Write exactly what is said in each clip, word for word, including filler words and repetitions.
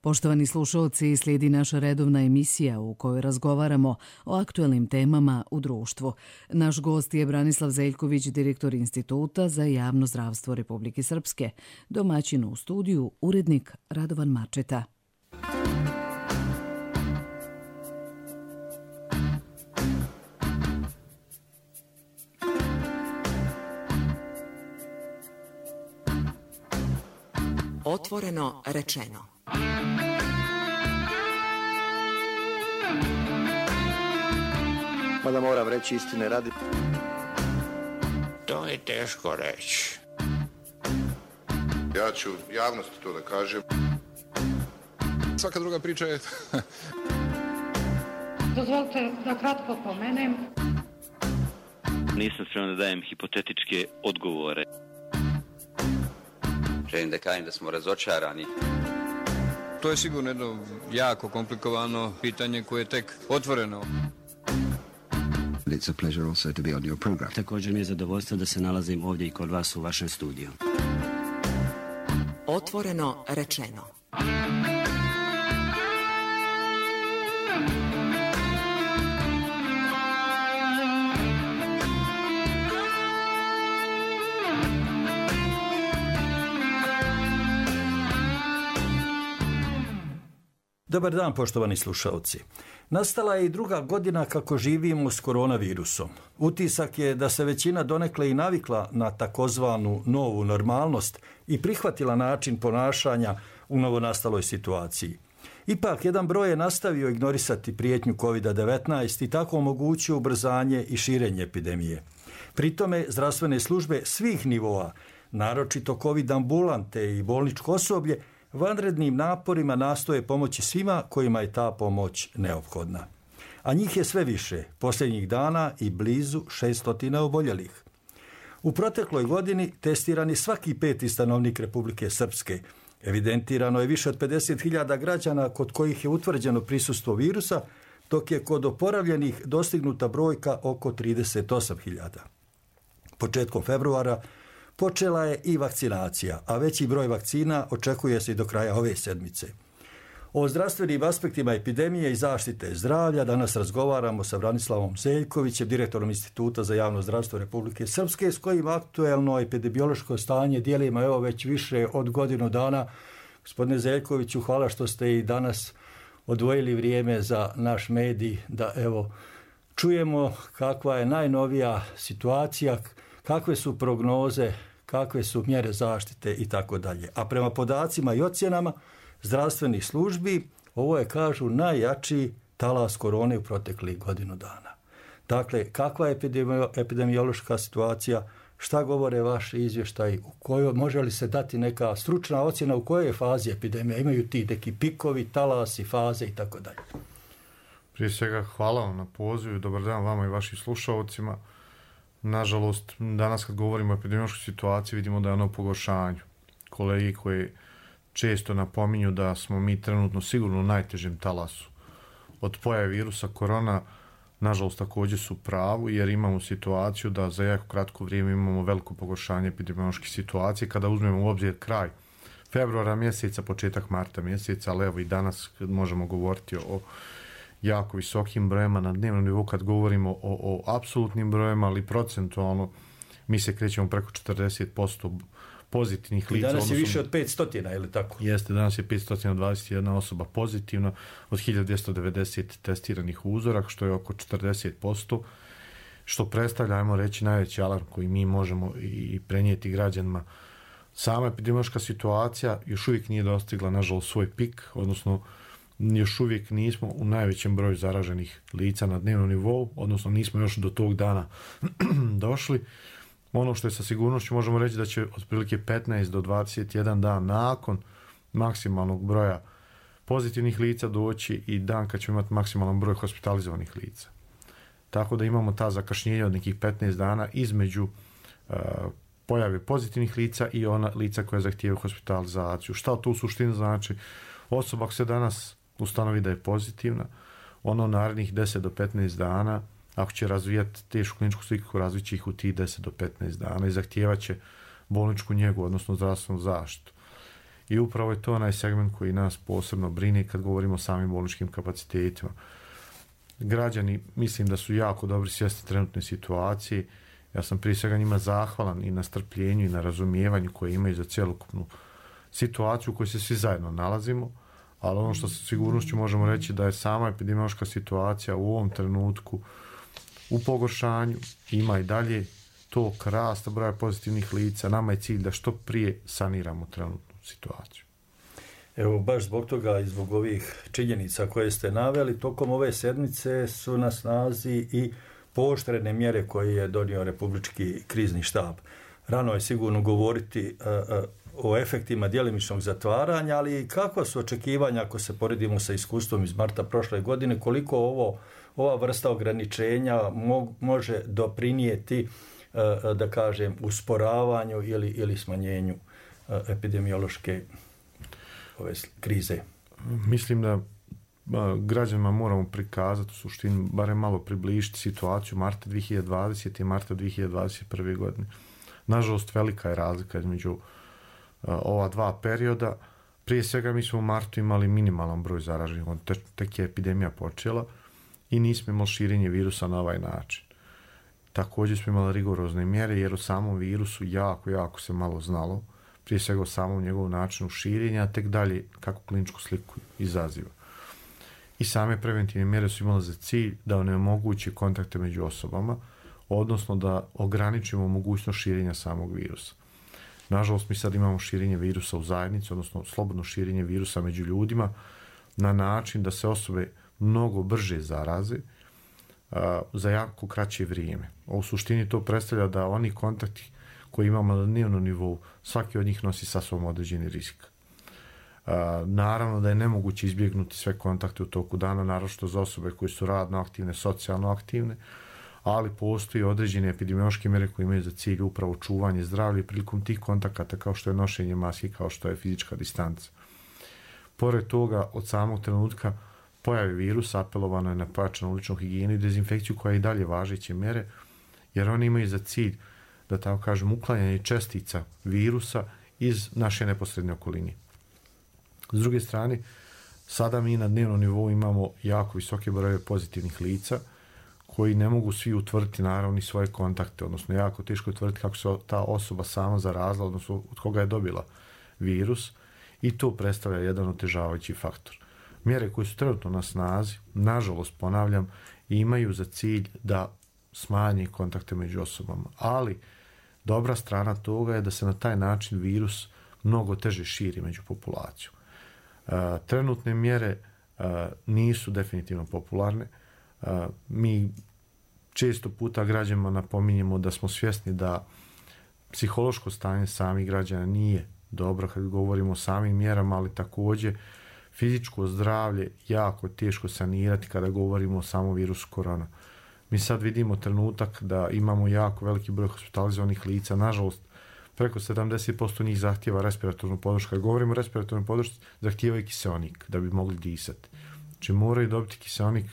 Poštovani slušalci, slijedi naša redovna emisija u kojoj razgovaramo o aktuelnim temama u društvu. Naš gost je Branislav Zeljković, direktor Instituta za javno zdravstvo Republike Srpske. Domaćin u studiju, urednik Radovan Mačeta. Otvoreno rečeno. Mada moram reći istine radi. To je teško reći. Ja ću javnosti to da kažem. Svaka druga priča je... Dozvolite da kratko pomenem. Nisam spreman da dajem hipotetičke odgovore. Želim da kažem da smo razočarani. To je sigurno jedno jako komplikovano pitanje koje je tek otvoreno. It's a pleasure also to be on your program. Također mi je zadovoljstvo da se nalazim ovdje i kod vas u vašem studiju. Otvoreno rečeno. Dobar dan, poštovani slušalci. Nastala je i druga godina kako živimo s koronavirusom. Utisak je da se većina donekle i navikla na takozvanu novu normalnost i prihvatila način ponašanja u novonastaloj situaciji. Ipak, jedan broj je nastavio ignorisati prijetnju kovid devetnaest i tako omogućio ubrzanje i širenje epidemije. Pri tome, zdravstvene službe svih nivoa, naročito covid ambulante i bolničko osoblje, vanrednim naporima nastoje pomoći svima kojima je ta pomoć neophodna. A njih je sve više, posljednjih dana i blizu šeststotina oboljelih. U protekloj godini testirani svaki peti stanovnik Republike Srpske. Evidentirano je više od pedeset hiljada građana kod kojih je utvrđeno prisustvo virusa, dok je kod oporavljenih dostignuta brojka oko trideset osam hiljada. Početkom februara počela je i vakcinacija, a veći broj vakcina očekuje se i do kraja ove sedmice. O zdravstvenim aspektima epidemije i zaštite zdravlja danas razgovaramo sa Branislavom Zeljkovićem, direktorom Instituta za javno zdravstvo Republike Srpske, s kojim aktuelno epidemiološko stanje dijelimo evo već više od godinu dana. Gospodine Zeljkoviću, hvala što ste i danas odvojili vrijeme za naš medij da evo čujemo kakva je najnovija situacija, kakve su prognoze, kakve su mjere zaštite i tako dalje. A prema podacima i ocjenama zdravstvenih službi, ovo je, kažu, najjači talas korone u proteklih godinu dana. Dakle, kakva je epidemiološka situacija, šta govore vaši izvještaji, u kojoj, može li se dati neka stručna ocjena u kojoj je fazi epidemija, imaju ti neki pikovi, talasi, faze i tako dalje. Prije svega hvala vam na pozivu, dobar dan vama i vašim slušalcima. Nažalost, danas kad govorimo o epidemiološkoj situaciji vidimo da je ono u pogoršanju. Kolegi koji često napominju da smo mi trenutno sigurno u najtežem talasu od pojave virusa korona, nažalost također su pravu jer imamo situaciju da za jako kratko vrijeme imamo veliko pogoršanje epidemiološke situacije kada uzmemo u obzir kraj februara mjeseca, početak marta mjeseca, ali evo i danas možemo govoriti o jako visokim brojima na dnevnom nivou kad govorimo o, o apsolutnim brojima, ali procentualno mi se krećemo preko četrdeset posto pozitivnih lica. Danas je više od petsto, je li tako? Jeste, danas je petsto dvadeset jedna osoba pozitivna od hiljadu dvjesto devedeset testiranih uzoraka, što je oko četrdeset posto, što predstavlja, ajmo reći, najveći alarm koji mi možemo i prenijeti građanima. Sama epidemiološka situacija još uvijek nije dostigla, nažalost, svoj pik, odnosno još uvijek nismo u najvećem broju zaraženih lica na dnevnom nivou, odnosno nismo još do tog dana došli. Ono što je sa sigurnošću možemo reći da će otprilike petnaest do dvadeset jedan dan nakon maksimalnog broja pozitivnih lica doći i dan kad ćemo imati maksimalan broj hospitalizovanih lica. Tako da imamo ta zakašnjenja od nekih petnaest dana između uh, pojave pozitivnih lica i ona lica koja zahtijevaju hospitalizaciju. Šta to u suštini znači? Osoba ako se danas ustanovi da je pozitivna, ono narednih deset do petnaest dana, ako će razvijati tešku kliničku sliku, razvit će ih u tih deset do petnaest dana i zahtijevat će bolničku njegu, odnosno zdravstvenu zaštitu. i upravo je to onaj segment koji nas posebno brine kad govorimo o samim bolničkim kapacitetima. Građani mislim da su jako dobri svjesni trenutne situacije. Ja sam prije svega njima zahvalan i na strpljenju i na razumijevanju koje imaju za cjelokupnu situaciju u kojoj se svi zajedno nalazimo, ali ono što sa sigurnošću možemo reći da je sama epidemiološka situacija u ovom trenutku u pogoršanju, ima i dalje tok rasta broja pozitivnih lica. Nama je cilj da što prije saniramo trenutnu situaciju. Evo, baš zbog toga i zbog ovih činjenica koje ste naveli, tokom ove sedmice su na snazi i pooštrene mjere koje je donio Republički krizni štab. Rano je sigurno govoriti uh, uh, o efektima djelimičnog zatvaranja, ali kakva su očekivanja ako se poredimo sa iskustvom iz marta prošle godine, koliko ovo, ova vrsta ograničenja mo, može doprinijeti, uh, da kažem, usporavanju ili, ili smanjenju uh, epidemiološke ove krize? Mislim da građanima moramo prikazati u suštini, barem malo približiti situaciju marta dvije hiljade dvadesete i marta dvije hiljade dvadeset prve. godine. Nažalost, velika je razlika između uh, ova dva perioda. Prije svega mi smo u martu imali minimalan broj zaraženih, te, tek je epidemija počela i nismo imali širenje virusa na ovaj način. Također smo imali rigorozne mjere jer o samom virusu jako, jako se malo znalo. Prije svega o samom njegovom načinu širenja, a tek dalje kako kliničku sliku izaziva. I same preventivne mjere su imale za cilj da onemoguće kontakte među osobama, odnosno da ograničimo mogućnost širenja samog virusa. Nažalost, mi sad imamo širenje virusa u zajednici, odnosno slobodno širenje virusa među ljudima na način da se osobe mnogo brže zaraze a, za jako kraće vrijeme. U suštini to predstavlja da oni kontakti koji imamo na dnevnom nivou, svaki od njih nosi sa sobom određeni rizik. Uh, naravno da je nemoguće izbjegnuti sve kontakte u toku dana, naročito za osobe koje su radno aktivne, socijalno aktivne, ali postoji određene epidemiološke mjere koje imaju za cilj upravo čuvanje zdravlja prilikom tih kontakata, kao što je nošenje maski, kao što je fizička distanca. Pored toga, od samog trenutka pojave virusa apelovano je na pojačanu ličnu higijenu i dezinfekciju, koja je i dalje važeće mjere, jer one imaju za cilj, da tako kažem, uklanjanje čestica virusa iz naše neposredne okoline. S druge strane, sada mi na dnevnom nivou imamo jako visoke brojeve pozitivnih lica koji ne mogu svi utvrditi naravno svoje kontakte, odnosno jako teško utvrditi kako se ta osoba sama zarazila, odnosno od koga je dobila virus, i to predstavlja jedan otežavajući faktor. Mjere koje su trenutno na snazi, nažalost ponavljam, imaju za cilj da smanje kontakte među osobama, ali dobra strana toga je da se na taj način virus mnogo teže širi među populaciju. Uh, trenutne mjere uh, nisu definitivno popularne. Uh, mi često puta građanima napominjemo da smo svjesni da psihološko stanje samih građana nije dobro kad govorimo o samim mjerama, ali također fizičko zdravlje jako teško sanirati kada govorimo o samom virusu korona. Mi sad vidimo trenutak da imamo jako veliki broj hospitalizovanih lica, nažalost preko sedamdeset posto njih zahtijeva respiratornu podršku. Kad govorimo o respiratornoj podršci, zahtijeva i kiseonik da bi mogli disati. Znači moraju dobiti kiseonik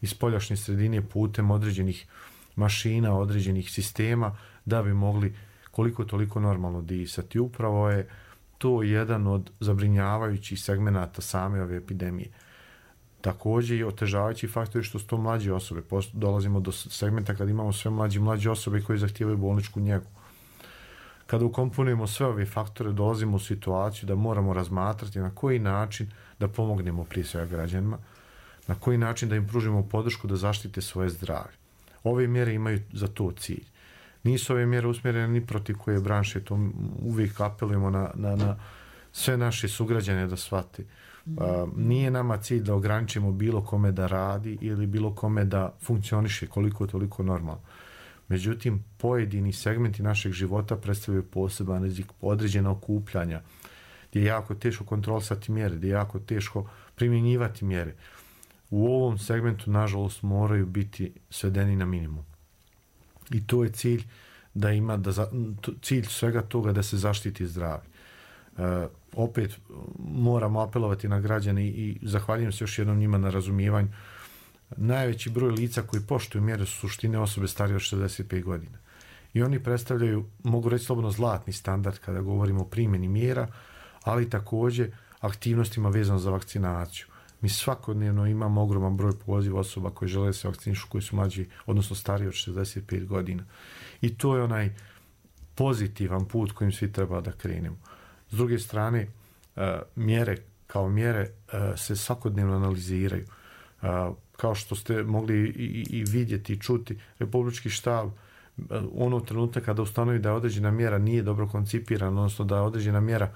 iz spoljašnje sredine putem određenih mašina, određenih sistema da bi mogli koliko toliko normalno disati. Upravo je to jedan od zabrinjavajućih segmenata same ove epidemije. Također i otežavajući faktor je što su to mlađe osobe. Dolazimo do segmenta kad imamo sve mlađe mlađe osobe koje zahtijevaju bolničku njegu. Kada ukomponujemo sve ove faktore, dolazimo u situaciju da moramo razmatrati na koji način da pomognemo prije svega građanima, na koji način da im pružimo podršku da zaštite svoje zdravlje. Ove mjere imaju za to cilj. Nisu ove mjere usmjerene ni protiv koje branše, to uvijek apelujemo na, na, na sve naše sugrađane da shvate. Uh, nije nama cilj da ograničimo bilo kome da radi ili bilo kome da funkcioniše koliko toliko normalno. Međutim, pojedini segmenti našeg života predstavljaju poseban rizik, određena okupljanja, gdje je jako teško kontrolisati mjere, gdje je jako teško primjenjivati mjere. U ovom segmentu, nažalost, moraju biti svedeni na minimum. I to je cilj da ima, da za, cilj svega toga da se zaštiti zdravlje. Uh, opet moramo apelovati na građane i, i zahvaljujem se još jednom njima na razumijevanju. Najveći broj lica koji poštuju mjere su suštine osobe starije od šezdeset pet godina. I oni predstavljaju, mogu reći slobodno, zlatni standard kada govorimo o primjeni mjera, ali također aktivnostima vezano za vakcinaciju. Mi svakodnevno imamo ogroman broj poziva osoba koje žele se vakcinišu, koji su mlađi, odnosno stariji od šezdeset pet godina. I to je onaj pozitivan put kojim svi treba da krenemo. S druge strane, mjere kao mjere se svakodnevno analiziraju. Kao što ste mogli i, i vidjeti i čuti, Republički štab ono trenutka kada ustanovi da je određena mjera nije dobro koncipirana, odnosno da je određena mjera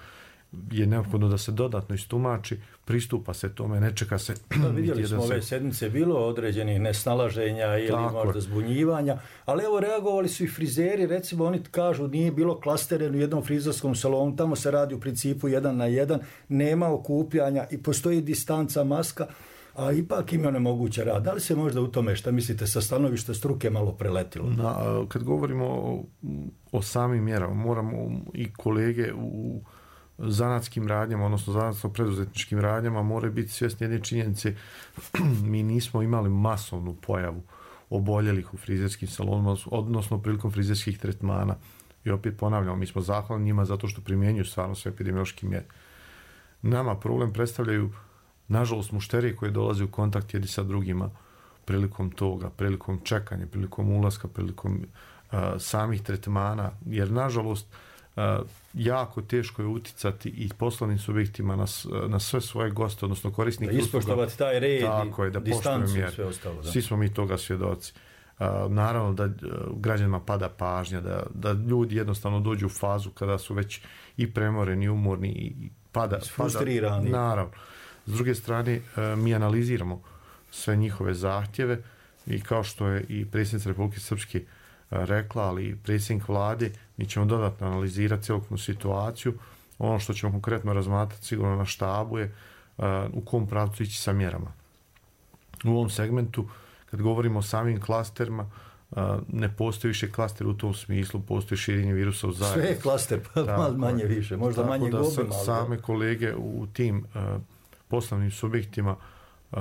je neophodno da se dodatno istumači, pristupa se tome, ne čeka se... Da, vidjeli smo ove sedmice, bilo određenih nesnalaženja ili tako možda zbunjivanja, ali evo reagovali su i frizeri, recimo oni kažu nije bilo klastere u jednom frizerskom salonu, tamo se radi u principu jedan na jedan, nema okupljanja i postoji distanca, maska, a ipak im je nemoguće rad. Da li se možda u tome, šta mislite, sa stanovišta struke malo preletilo? Na, kad govorimo o, o samim mjerama, moramo i kolege u zanatskim radnjama, odnosno zanatsko-preduzetničkim radnjama moraju biti svjesni jedne činjenice. Mi nismo imali masovnu pojavu oboljelih u frizerskim salonima, odnosno prilikom frizerskih tretmana. I opet ponavljamo, mi smo zahvalni njima zato što primjenjuju stvarno sve epidemiološke mjere. Nama problem predstavljaju, nažalost, mušterije koje dolaze u kontakt jedni sa drugima prilikom toga, prilikom čekanja, prilikom ulaska, prilikom uh, samih tretmana, jer nažalost Uh, jako teško je uticati i poslovnim subjektima na, na sve svoje goste, odnosno korisnike. Da ispoštovati taj red tako i je, da distancu i sve ostalo. Da. Svi smo mi toga svjedoci. Uh, naravno da uh, građanima pada pažnja, da, da ljudi jednostavno dođu u fazu kada su već i premoreni, i umorni i pada. Frustrirani. Pada, naravno. S druge strane, uh, mi analiziramo sve njihove zahtjeve i kao što je i predsjednica Republike Srpske rekla, ali i predsjednik vlade, mi ćemo dodatno analizirati cjelokupnu situaciju. Ono što ćemo konkretno razmatrati sigurno na štabu je uh, u kom pravcu ići sa mjerama. U ovom segmentu, kad govorimo o samim klasterima, uh, ne postoji više klaster u tom smislu, postoji širenje virusa u zajednici. Sve je klaster, pa manje više, možda manje da gobe. Sa, same kolege u tim uh, poslovnim subjektima uh,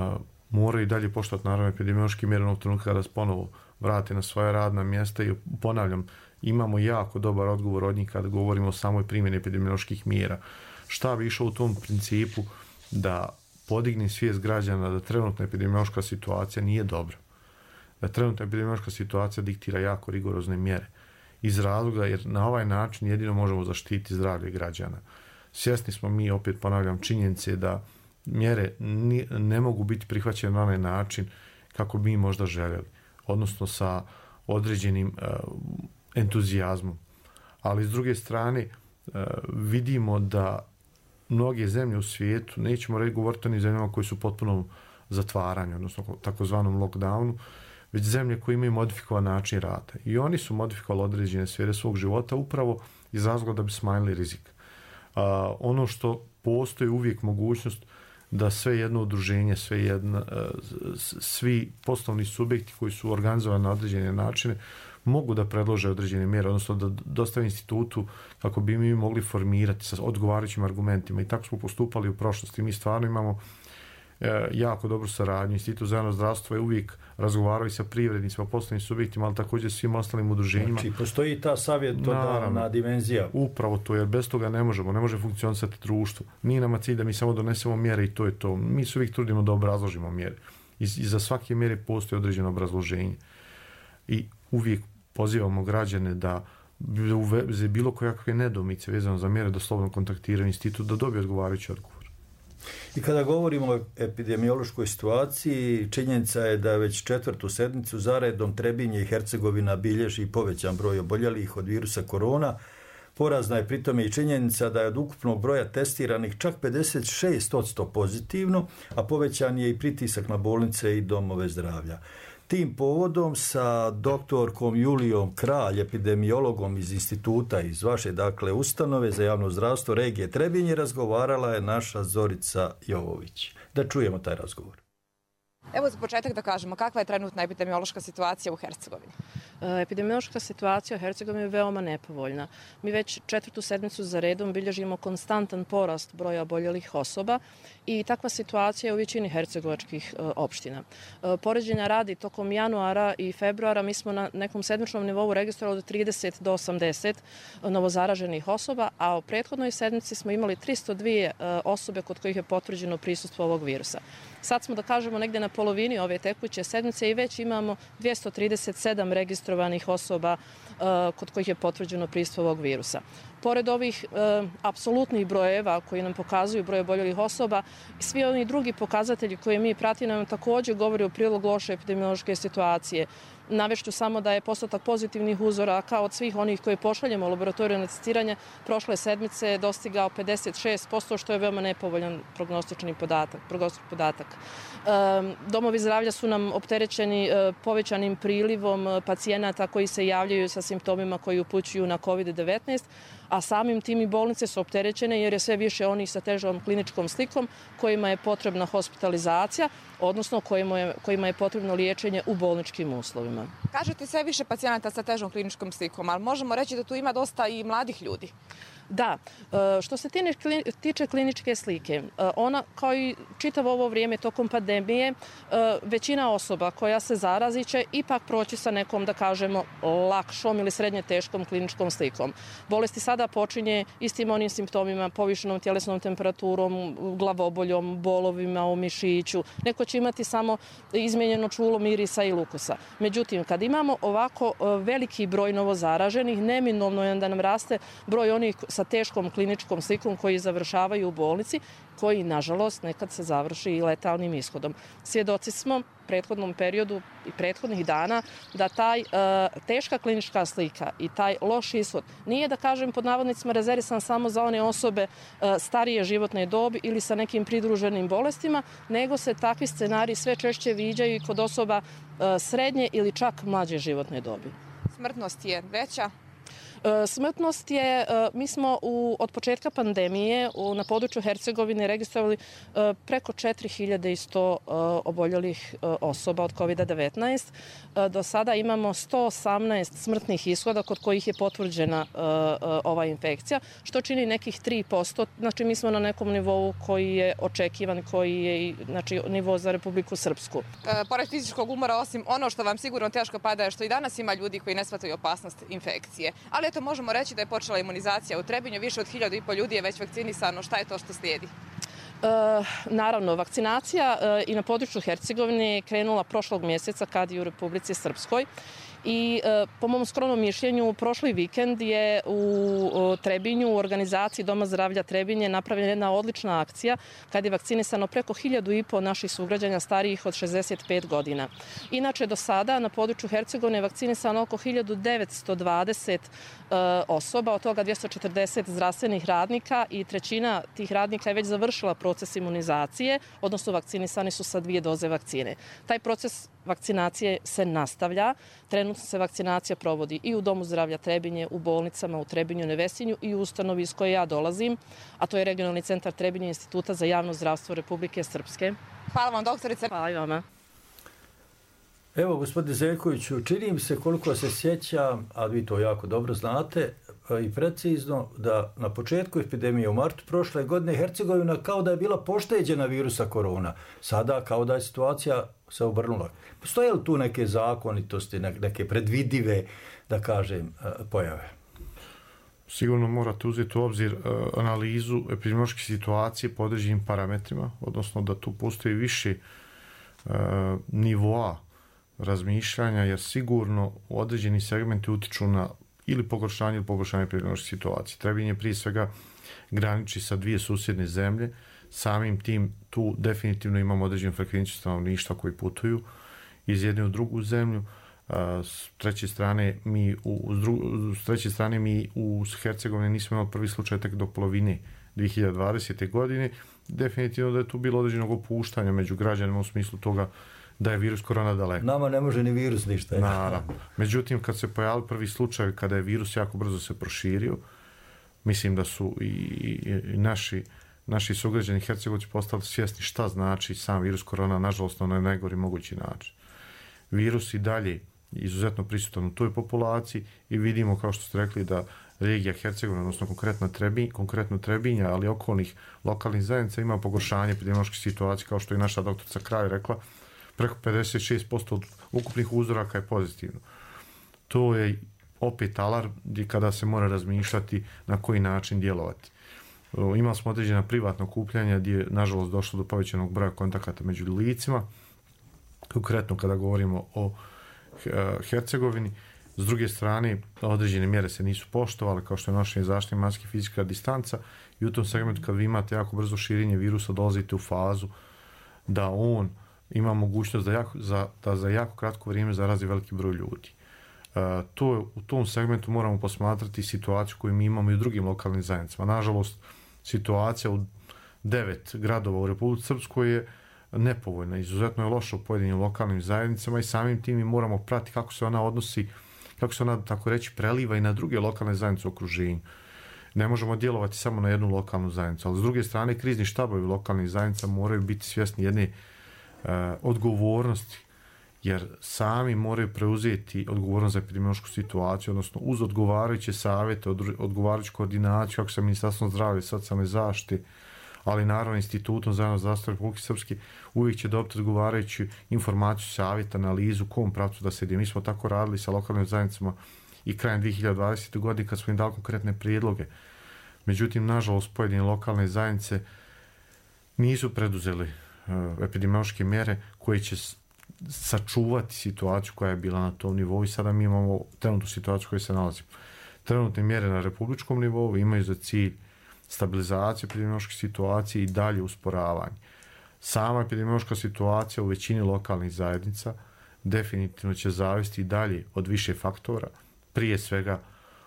moraju i dalje poštovati naravno epidemiološki mjere onog trenutka kada se ponovo vrate na svoja radna mjesta i ponavljam, imamo jako dobar odgovor od njih kada govorimo o samoj primjeni epidemioloških mjera. Šta bi išao u tom principu da podigne svijest građana da trenutna epidemiološka situacija nije dobra. Da trenutna epidemiološka situacija diktira jako rigorozne mjere. Iz razloga jer na ovaj način jedino možemo zaštiti zdravlje građana. Svjesni smo mi, opet ponavljam, činjenice da mjere ne mogu biti prihvaćene na onaj način kako bi mi možda željeli, odnosno sa određenim uh, entuzijazmom. Ali s druge strane uh, vidimo da mnoge zemlje u svijetu, nećemo reći govoriti o onim zemljama koji su potpuno zatvaranje, odnosno takozvanom lockdownu, već zemlje koje imaju modifikovan način rada. I oni su modifikovali određene sfere svog života upravo iz razloga da bi smanjili rizik. Uh, ono što postoji uvijek mogućnost da sve jedno udruženje, sve jedna, svi poslovni subjekti koji su organizovani na određene načine mogu da predlože određene mjere, odnosno da dostave institutu kako bi mi mogli formirati sa odgovarajućim argumentima. I tako smo postupali u prošlosti. Mi stvarno imamo e, jako dobru saradnju. Institut za javno zdravstvo je uvijek razgovarao i sa privrednicima, poslovnim subjektima, ali također svim ostalim udruženjima. Znači, postoji ta savjetodavna dimenzija. Upravo to, jer bez toga ne možemo, ne može funkcionisati društvo. Nije nama cilj da mi samo donesemo mjere i to je to. Mi se uvijek trudimo da obrazložimo mjere. I, i za svake mjere postoji određeno obrazloženje. I uvijek pozivamo građane da u vezi bilo kakve nedomice vezano za mjere da slobodno kontaktiraju institut da dobije odgovarajući odgovor. I kada govorimo o epidemiološkoj situaciji, činjenica je da već četvrtu sedmicu zaredom Trebinje i Hercegovina bilježi povećan broj oboljelih od virusa korona. Porazna je pritome i činjenica da je od ukupnog broja testiranih čak pedeset šest posto pozitivno, a povećan je i pritisak na bolnice i domove zdravlja. Tim povodom sa doktorkom Julijom Kralj, epidemiologom iz instituta, iz vaše dakle ustanove za javno zdravstvo regije Trebinje, razgovarala je naša Zorica Jovović. Da čujemo taj razgovor. Evo za početak da kažemo, kakva je trenutna epidemiološka situacija u Hercegovini? Epidemiološka situacija u Hercegovini je veoma nepovoljna. Mi već četvrtu sedmicu za redom bilježimo konstantan porast broja oboljelih osoba i takva situacija je u većini hercegovačkih e, opština. E, poređenja radi, tokom januara i februara mi smo na nekom sedmičnom nivou registrovali od trideset do osamdeset novozaraženih osoba, a u prethodnoj sedmici smo imali tristo dvije e, osobe kod kojih je potvrđeno prisustvo ovog virusa. Sad smo, da kažemo, negdje na polovini ove tekuće sedmice i već imamo dvjesto trideset sedam registrovanih osoba uh, kod kojih je potvrđeno prisustvo ovog virusa. Pored ovih uh, apsolutnih brojeva koji nam pokazuju broj oboljelih osoba, svi oni drugi pokazatelji koje mi pratimo nam također govori u prilog loše epidemiološke situacije. Navešću samo da je postotak pozitivnih uzoraka od svih onih koje pošaljemo u laboratoriju na testiranje prošle sedmice dostigao pedeset šest posto, što je veoma nepovoljan prognostični podatak. podatak. Domovi zdravlja su nam opterećeni povećanim prilivom pacijenata koji se javljaju sa simptomima koji upućuju na kovid devetnaest, a samim tim i bolnice su opterećene jer je sve više onih sa težom kliničkom slikom kojima je potrebna hospitalizacija, odnosno kojima je, kojima je potrebno liječenje u bolničkim uslovima. Kažete sve više pacijenata sa težom kliničkom slikom, ali možemo reći da tu ima dosta i mladih ljudi. Da, što se tiče kliničke slike, ona kao i čitavo ovo vrijeme tokom pandemije, većina osoba koja se zarazi će ipak proći sa nekom, da kažemo, lakšom ili srednje teškom kliničkom slikom. Bolesti sada počinje istim onim simptomima, povišenom tjelesnom temperaturom, glavoboljom, bolovima u mišiću. Neko će imati samo izmijenjeno čulo mirisa i lukusa. Međutim, kad imamo ovako veliki broj novozaraženih, neminovno je da nam raste broj onih sa teškom kliničkom slikom koji završavaju u bolnici, koji, nažalost, nekad se završi i letalnim ishodom. Svjedoci smo u prethodnom periodu i prethodnih dana da taj e, teška klinička slika i taj loš ishod nije, da kažem, pod navodnicima rezervisan samo za one osobe e, starije životne dobi ili sa nekim pridruženim bolestima, nego se takvi scenariji sve češće viđaju i kod osoba e, srednje ili čak mlađe životne dobi. Smrtnost je veća? Smrtnost je, mi smo u, od početka pandemije u, na području Hercegovine registrovali preko četiri hiljade sto oboljelih osoba od kovid devetnaest. Do sada imamo sto osamnaest smrtnih ishoda kod kojih je potvrđena ova infekcija, što čini nekih tri posto. Znači mi smo na nekom nivou koji je očekivan, koji je znači, nivo za Republiku Srpsku. E, pored fizičkog umora, osim ono što vam sigurno teško pada je što i danas ima ljudi koji ne shvataju opasnost infekcije. Ali eto, možemo reći da je počela imunizacija u Trebinju, više od hiljadu i pol ljudi je već vakcinisano. Šta je to što slijedi? E, naravno, vakcinacija e, i na području Hercegovine je krenula prošlog mjeseca kad je u Republici Srpskoj. I e, po mom skromnom mišljenju, prošli vikend je u o, Trebinju, u organizaciji Doma zdravlja Trebinje, napravljena jedna odlična akcija kad je vakcinisano preko hiljadu i po naših sugrađana starijih od šezdeset pet godina. Inače, do sada na području Hercegovine je vakcinisano oko hiljadu devetsto dvadeset e, osoba, od toga dvjesto četrdeset zdravstvenih radnika i trećina tih radnika je već završila proces imunizacije, odnosno vakcinisani su sa dvije doze vakcine. Taj proces vakcinacije se nastavlja. Trenutno se vakcinacija provodi i u Domu zdravlja Trebinje, u bolnicama u Trebinju, Nevesinju i u ustanovi iz koje ja dolazim, a to je Regionalni centar Trebinje Instituta za javno zdravstvo Republike Srpske. Hvala vam, doktorice. Hvala i vama. Evo, gospodine Zeljkoviću, činim se koliko se sjećam, a vi to jako dobro znate i precizno, da na početku epidemije u martu prošle godine Hercegovina kao da je bila pošteđena virusa korona. Sada kao da je situacija se obrnula. Postoje li tu neke zakonitosti, neke predvidive, da kažem, pojave? Sigurno morate uzeti u obzir analizu epidemiološke situacije po određenim parametrima, odnosno da tu postoji više nivoa razmišljanja, jer sigurno određeni segmenti utiču na ili pogoršanje ili pogoršanje epidemiološke situacije. Trebinje prije svega graniči sa dvije susjedne zemlje, samim tim tu definitivno imamo određenu frekvenciju stanovništva koji putuju iz jedne u drugu zemlju. S treće strane mi u, s treće strane mi u Hercegovini nismo imali prvi slučaj tek do polovine dvije hiljade dvadesete. godine. Definitivno da je tu bilo određenog opuštanja među građanima u smislu toga da je virus korona daleko. Nama ne može ni virus ništa. Naravno. Međutim, kad se pojavili prvi slučaj, kada je virus jako brzo se proširio, mislim da su i, i, i naši naši sugrađani Hercegovci postali svjesni šta znači sam virus korona, nažalost na najgori mogući način. Virus i dalje izuzetno prisutan u toj populaciji i vidimo, kao što ste rekli, da regija Hercegovina, odnosno konkretno Trebinj, konkretno Trebinja, ali okolnih lokalnih zajednica ima pogoršanje epidemiološke situacije, kao što je naša doktorica Kraj rekla, preko pedeset šest posto od ukupnih uzoraka je pozitivno. To je opet alarm kada se mora razmišljati na koji način djelovati. Imali smo određena privatna okupljanja gdje je nažalost došlo do povećanog broja kontakata među licima, konkretno kada govorimo o Hercegovini. S druge strane, određene mjere se nisu poštovale, kao što je nošenje zaštitne maske, fizička distanca, i u tom segmentu kad vi imate jako brzo širenje virusa, dolazite u fazu da on ima mogućnost da, jako, za, da za jako kratko vrijeme zarazi veliki broj ljudi. Uh, to je, u tom segmentu moramo posmatrati situaciju koju mi imamo i u drugim lokalnim zajednicama. Nažalost, situacija u devet gradova u Republici Srpskoj je nepovoljna, izuzetno je loša u pojedinim lokalnim zajednicama i samim tim mi moramo pratiti kako se ona odnosi, kako se ona, tako reći, preliva i na druge lokalne zajednice u okruženju. Ne možemo djelovati samo na jednu lokalnu zajednicu, ali s druge strane krizni štabovi lokalnih zajednica moraju biti svjesni jedne uh, odgovornosti, jer sami moraju preuzeti odgovornost za epidemiološku situaciju, odnosno uz odgovarajuće savjete, odgovarajuću koordinaciju, kako sa Ministarstvom zdravlja i socijalne zaštite, ali naravno Institutom za javno zdravstvo Republike Srpske, uvijek će dobiti odgovarajuću informaciju, savjet, analizu, kom pravcu da se ide. Mi smo tako radili sa lokalnim zajednicama i krajem dvije hiljade dvadesete. godine kad smo im dali konkretne prijedloge. Međutim, nažalost, pojedine lokalne zajednice nisu preduzeli uh, epidemiološke mjere koje će sačuvati situaciju koja je bila na tom nivou i sada mi imamo trenutnu situaciju u kojoj se nalazimo. Trenutne mjere na republičkom nivou imaju za cilj stabilizaciju epidemiološke situacije i dalje usporavanje. Sama epidemiološka situacija u većini lokalnih zajednica definitivno će zavisiti i dalje od više faktora, prije svega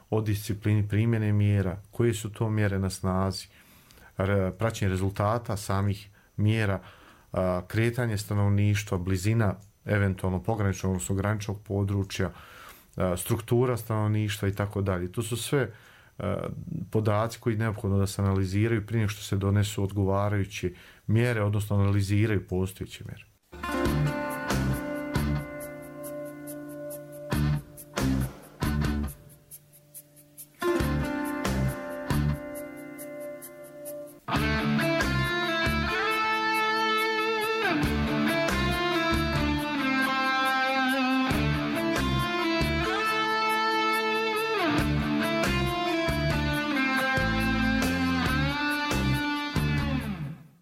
od disciplini primjene mjera, koje su to mjere na snazi, praćenje rezultata samih mjera, kretanje stanovništva, blizina eventualno pograničnog, odnosno graničnog područja, struktura stanovništva i tako dalje. To su sve podaci koji je neophodno da se analiziraju prije nego što se donesu odgovarajuće mjere, odnosno analiziraju postojeće mjere.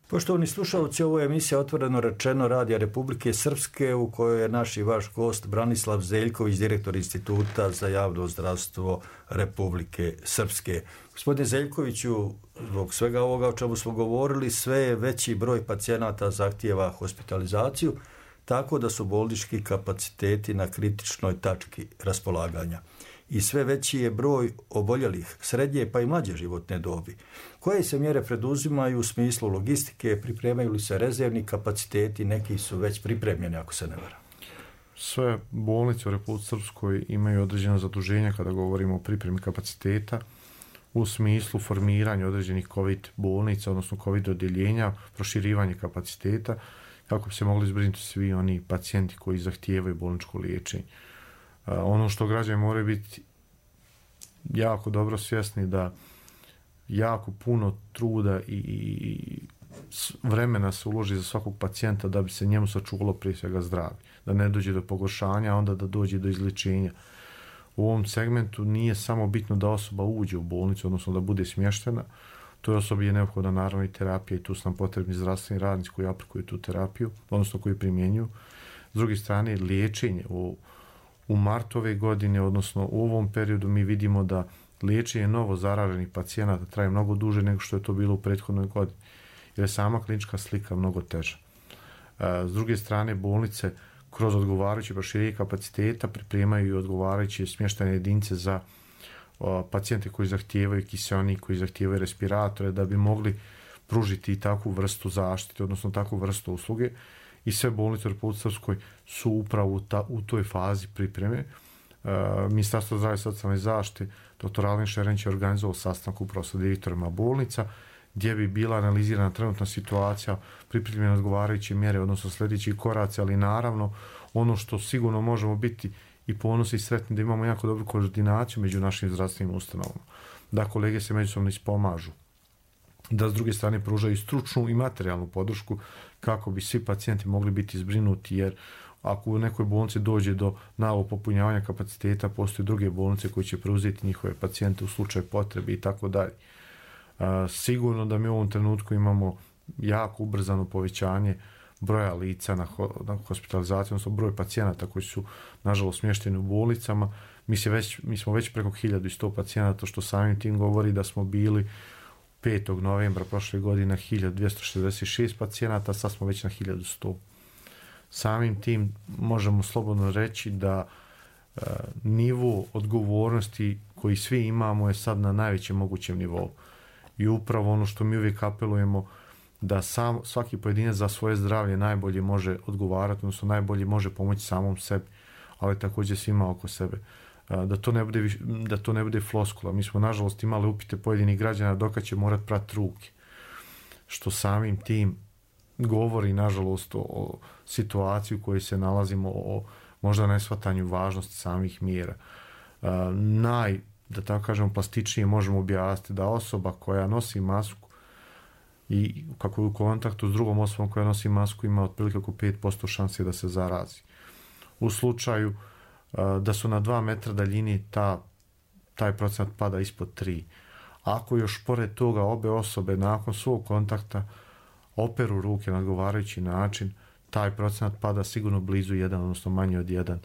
Poštovani slušalci, ovo je emisija Otvoreno rečeno Radija Republike Srpske u kojoj je naš i vaš gost Branislav Zeljković, direktor Instituta za javno zdravstvo Republike Srpske. Gospodine Zeljkoviću, zbog svega ovoga o čemu smo govorili, sve je veći broj pacijenata zahtijeva hospitalizaciju, tako da su bolnički kapaciteti na kritičnoj tački raspolaganja. I sve veći je broj oboljelih srednje pa i mlađe životne dobi. Koje se mjere preduzimaju u smislu logistike, pripremaju li se rezervni kapaciteti, neki su već pripremljeni ako se ne varam? Sve bolnice u Republici Srpskoj imaju određena zaduženja kada govorimo o pripremi kapaciteta u smislu formiranja određenih COVID bolnica, odnosno COVID odjeljenja, proširivanje kapaciteta kako bi se mogli zbrinuti svi oni pacijenti koji zahtijevaju bolničko liječenje. Uh, ono što građani moraju biti jako dobro svjesni da jako puno truda i, i vremena se uloži za svakog pacijenta da bi se njemu sačuvalo prije svega zdravlje, da ne dođe do pogoršanja, a onda da dođe do izlječenja. U ovom segmentu nije samo bitno da osoba uđe u bolnicu, odnosno da bude smještena, toj osobi je neophodna naravno i terapija i tu su nam potrebni zdravstveni radnici koji aplikuju tu terapiju, odnosno koji primjenjuju. S druge strane, liječenje u U martu ove godine, odnosno u ovom periodu, mi vidimo da liječenje novo zaraženih pacijenata traje mnogo duže nego što je to bilo u prethodnoj godini, jer je sama klinička slika mnogo teža. S druge strane, bolnice kroz odgovarajuće proširenje kapaciteta pripremaju i odgovarajuće smještene jedinice za pacijente koji zahtijevaju kiseonik, koji zahtijevaju respiratore, da bi mogli pružiti i takvu vrstu zaštite, odnosno takvu vrstu usluge. I sve bolnice u Republici Srpskoj su upravo u, ta, u toj fazi pripreme. Uh, Ministarstvo zdravlja i socijalne zaštite, doktor Alen Šerenić je organizovao sastanak upravo sa direktorima bolnica, gdje bi bila analizirana trenutna situacija, pripremljene odgovarajuće mjere, odnosno sljedeći koraci, ali naravno ono što sigurno možemo biti i ponosni i sretni da imamo jako dobru koordinaciju među našim zdravstvenim ustanovama, da kolege se međusobno ispomažu, da s druge strane pružaju stručnu i materijalnu podršku kako bi svi pacijenti mogli biti zbrinuti, jer ako u nekoj bolnici dođe do naglog popunjavanja kapaciteta, postoje druge bolnice koje će preuzeti njihove pacijente u slučaju potrebe i tako dalje. Sigurno da mi u ovom trenutku imamo jako ubrzano povećanje broja lica na, ho, na hospitalizaciju, odnosno broj pacijenata koji su nažalost smješteni u bolnicama. Mi, se već, mi smo već preko hiljadu sto pacijenata, što samim tim govori da smo bili petog novembra prošle godine hiljadu dvjesto šezdeset šest pacijenata, sad smo već na hiljadu sto. Samim tim možemo slobodno reći da e, nivo odgovornosti koji svi imamo je sad na najvećem mogućem nivou. I upravo ono što mi uvijek apelujemo, da sam, svaki pojedinac za svoje zdravlje najbolje može odgovarati, odnosno najbolje može pomoći samom sebi, ali također svima oko sebe. Da to ne bude, da to ne bude floskula. Mi smo nažalost imali upite pojedinih građana dokad će morati prati ruke, što samim tim govori nažalost o, o situaciji u kojoj se nalazimo, o možda neshvatanju važnosti samih mjera. Naj, da tako kažemo, plastičnije možemo objasniti da osoba koja nosi masku i kako je u kontaktu s drugom osobom koja nosi masku ima otprilike oko pet posto šanse da se zarazi. U slučaju uh, da su na dva metra daljini, ta, taj procenat pada ispod tri. Ako još pored toga obe osobe nakon svog kontakta operu ruke na odgovarajući način, taj procenat pada sigurno blizu jedan, odnosno manje od jedan.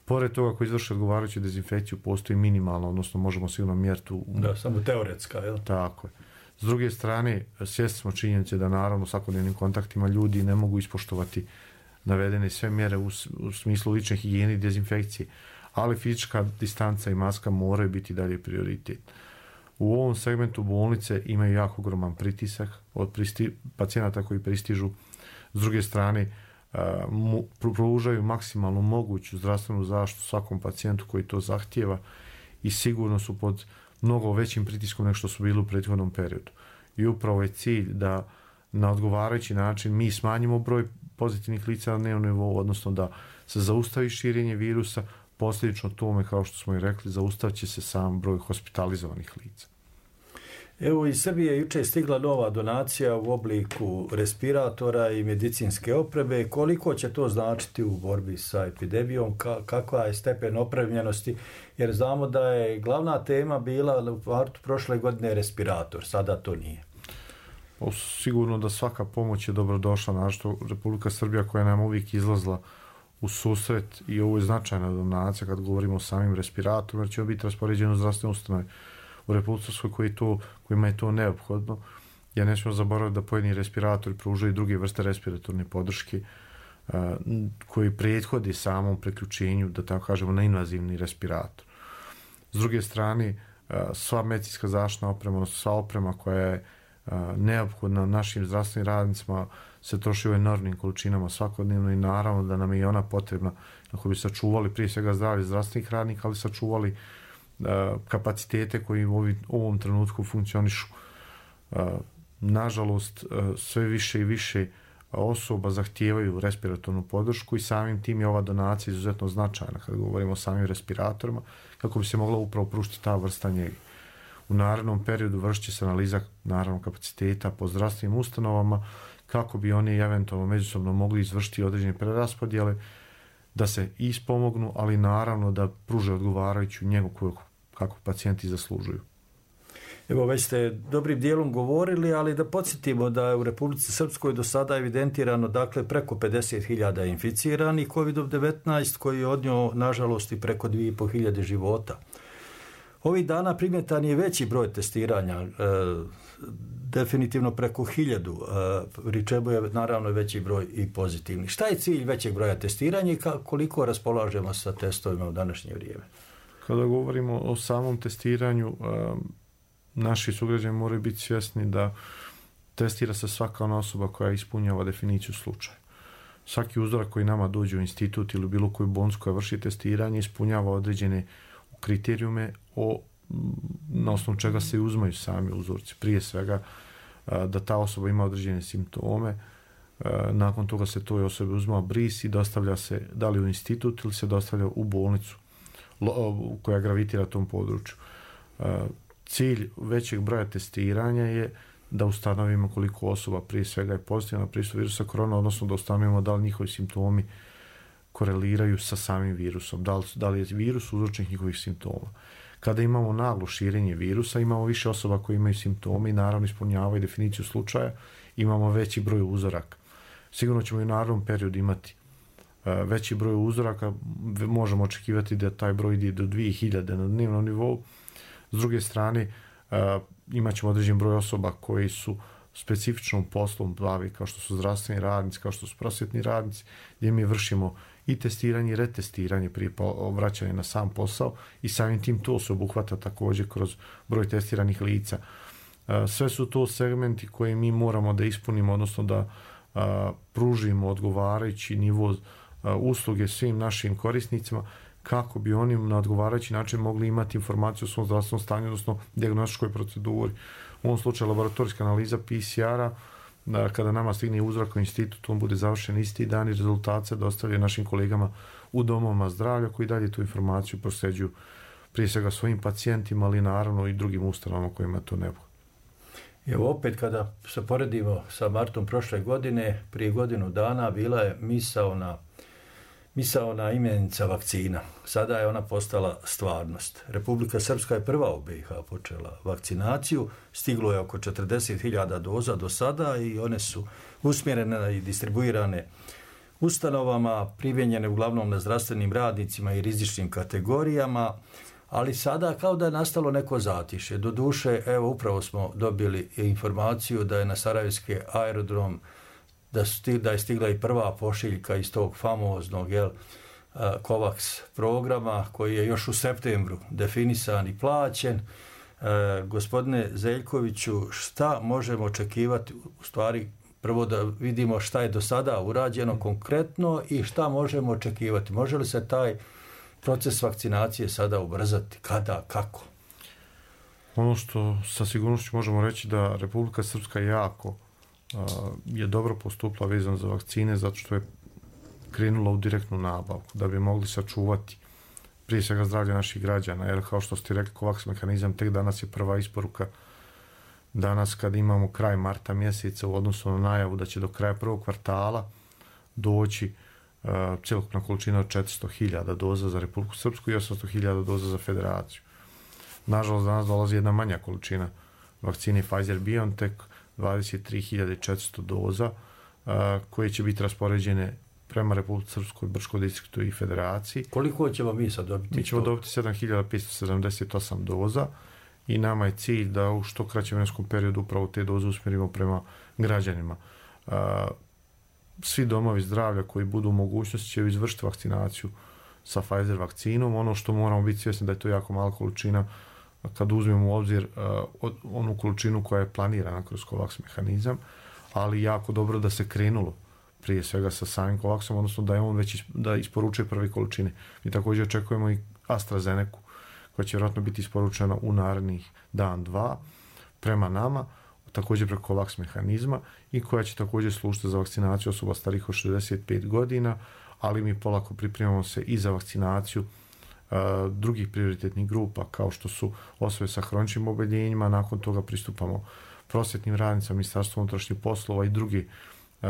Pored toga, ako izvrši odgovarajuću dezinfekciju, postoji minimalno, odnosno možemo sigurno mjeriti u... Da, samo teoretska, jel? Tako je. S druge strane, svjesni smo činjenice da naravno svakodnevnim kontaktima ljudi ne mogu ispoštovati navedene sve mjere u, u smislu lične higijene i dezinfekcije, ali fizička distanca i maska moraju biti dalje prioritet. U ovom segmentu bolnice imaju jako ogroman pritisak od pristi, pacijenata koji pristižu. S druge strane, uh, mu, pružaju maksimalnu moguću zdravstvenu zaštitu svakom pacijentu koji to zahtijeva i sigurno su pod mnogo većim pritiskom nego što su bili u prethodnom periodu. I upravo je cilj da na odgovarajući način mi smanjimo broj pozitivnih lica na dnevnom nivou, odnosno da se zaustavi širenje virusa, posljedično tome, kao što smo i rekli, zaustavit će se sam broj hospitalizovanih lica. Evo, iz Srbije jučer je stigla nova donacija u obliku respiratora i medicinske opreme. Koliko će to značiti u borbi sa epidemijom? Ka- kakva je stepen opremljenosti? Jer znamo da je glavna tema bila u martu prošle godine respirator, sada to nije. O, sigurno da svaka pomoć je dobrodošla, našto Republika Srbija koja nam uvijek izlazla u susret i ovo je značajna donacija kad govorimo o samim respiratorima, jer će biti raspoređeno u zdravstvene ustanove u Republici koji to, kojima je to neophodno. Ja ne smijemo zaboraviti da pojedini respiratori pružaju druge vrste respiratorne podrške uh, koji prethodi samom preključenju, da tako kažemo, na invazivni respirator. S druge strane, uh, sva medicinska zaštitna oprema, odnosno sva oprema koja je uh, neophodna našim zdravstvenim radnicima se troši u enormnim količinama svakodnevno i naravno da nam je i ona potrebna kako bi sačuvali prije svega zdravlje zdravstvenih radnika, ali sačuvali kapacitete koji u ovom trenutku funkcionišu. Nažalost, sve više i više osoba zahtijevaju respiratornu podršku i samim tim je ova donacija izuzetno značajna kad govorimo o samim respiratorima, kako bi se mogla upravo pružiti ta vrsta njege. U narednom periodu vršit će se analiza naravno kapaciteta po zdravstvenim ustanovama kako bi oni eventualno međusobno mogli izvršiti određene preraspodjele, da se ispomognu, ali naravno da pruže odgovarajuću njegu koju kako pacijenti zaslužuju. Evo, već ste dobrim dijelom govorili, ali da podsjetimo da je u Republici Srpskoj do sada evidentirano dakle preko pedeset hiljada inficiranih kovid devetnaest koji je odnio nažalost i preko dvije i pol hiljade života. Ovih dana primjetan je veći broj testiranja, e, definitivno preko hiljadu, e, pri čemu je naravno veći broj i pozitivnih. Šta je cilj većeg broja testiranja i koliko raspolažemo sa testovima u današnje vrijeme? Kada govorimo o samom testiranju, naši sugrađani moraju biti svjesni da testira se svaka ona osoba koja ispunjava definiciju slučaja. Svaki uzorak koji nama dođe u institut ili bilo koju bolnicu koja vrši testiranje ispunjava određene kriterijume o, na osnovu čega se uzmaju sami uzorci. Prije svega da ta osoba ima određene simptome. Nakon toga se toj osobi uzma bris i dostavlja se da li u institut ili se dostavlja u bolnicu koja gravitira tom području. Cilj većeg broja testiranja je da ustanovimo koliko osoba prije svega je pozitivna na pristup virusa korona, odnosno da ustanovimo da li njihovi simptomi koreliraju sa samim virusom, da li, da li je virus uzročnik njihovih simptoma. Kada imamo naglo širenje virusa, imamo više osoba koji imaju simptome i naravno ispunjavaju definiciju slučaja, imamo veći broj uzoraka. Sigurno ćemo i u narednom periodu imati uh, veći broj uzoraka, možemo očekivati da taj broj ide do dvije hiljade na dnevnom nivou. S druge strane, uh, imat ćemo određen broj osoba koji su specifičnom poslom bavi, kao što su zdravstveni radnici, kao što su prosvjetni radnici, gdje mi vršimo i testiranje i retestiranje prije vraćanja na sam posao i samim tim to se obuhvata također kroz broj testiranih lica. Sve su to segmenti koje mi moramo da ispunimo, odnosno da pružimo odgovarajući nivo usluge svim našim korisnicima kako bi oni na odgovarajući način mogli imati informaciju o svom zdravstvenom stanju, odnosno dijagnostičkoj proceduri. U ovom slučaju laboratorijska analiza P C R-a, kada nama stigne uzorak u institut, on bude završen isti dan i rezultat se dostavlja našim kolegama u domovima zdravlja koji dalje tu informaciju prosljeđuju prije svega svojim pacijentima, ali naravno i drugim ustanovama kojima to ne bude. Evo opet kada se poredimo sa martom prošle godine, prije godinu dana bila je misaona, misaona imenica vakcina. Sada je ona postala stvarnost. Republika Srpska je prva u B i H počela vakcinaciju. Stiglo je oko četrdeset hiljada doza do sada i one su usmjerene i distribuirane ustanovama, primjenjene uglavnom na zdravstvenim radnicima i rizičnim kategorijama, ali sada kao da je nastalo neko zatišje. Doduše, evo upravo smo dobili informaciju da je na Sarajevski aerodrom da, sti, da je stigla i prva pošiljka iz tog famoznog jel, COVAX programa koji je još u septembru definisan i plaćen. E, gospodine Zeljkoviću, šta možemo očekivati, u stvari prvo da vidimo šta je do sada urađeno konkretno i šta možemo očekivati? Može li se taj proces vakcinacije sada ubrzati? Kada? Kako? Ono što sa sigurnošću možemo reći da Republika Srpska jako uh, je dobro postupila vezano za vakcine zato što je krenula u direktnu nabavku da bi mogli sačuvati prije svega zdravlje naših građana, jer kao što ste rekli, COVAX mehanizam tek danas je prva isporuka. Danas kad imamo kraj marta mjeseca u odnosu na najavu da će do kraja prvog kvartala doći uh, cjelokupna količina od četiristo hiljada doza za Republiku Srpsku i osamsto hiljada doza za Federaciju. Nažalost, danas dolazi jedna manja količina vakcine Pfizer-BioNTech, dvadeset tri hiljade četiristo doza, uh, koje će biti raspoređene prema Republici Srpskoj, Brčkom distriktu i Federaciji. Koliko ćemo mi sad dobiti? Mi ćemo to? dobiti sedam hiljada petsto sedamdeset osam doza i nama je cilj da u što kraćem vremenskom periodu upravo te doze usmjerimo prema građanima. Uh, svi domovi zdravlja koji budu u mogućnosti će izvršiti vakcinaciju sa Pfizer vakcinom. Ono što moramo biti svjesni da je to jako mala količina kad uzmemo u obzir uh, onu količinu koja je planirana kroz COVAX mehanizam, ali jako dobro da se krenulo prije svega sa samim COVAXom, odnosno da je on već da isporučuje prve količine. Mi također očekujemo i AstraZenecu, koja će vjerojatno biti isporučena u narednih dan, dva, prema nama, također preko COVAX mehanizma i koja će također služiti za vakcinaciju osoba starih od šezdeset pet godina, ali mi polako pripremamo se i za vakcinaciju uh, drugih prioritetnih grupa, kao što su osobe sa hroničnim oboljenjima, nakon toga pristupamo prosvjetnim radnicama, Ministarstvu unutrašnjih poslova i drugi Uh,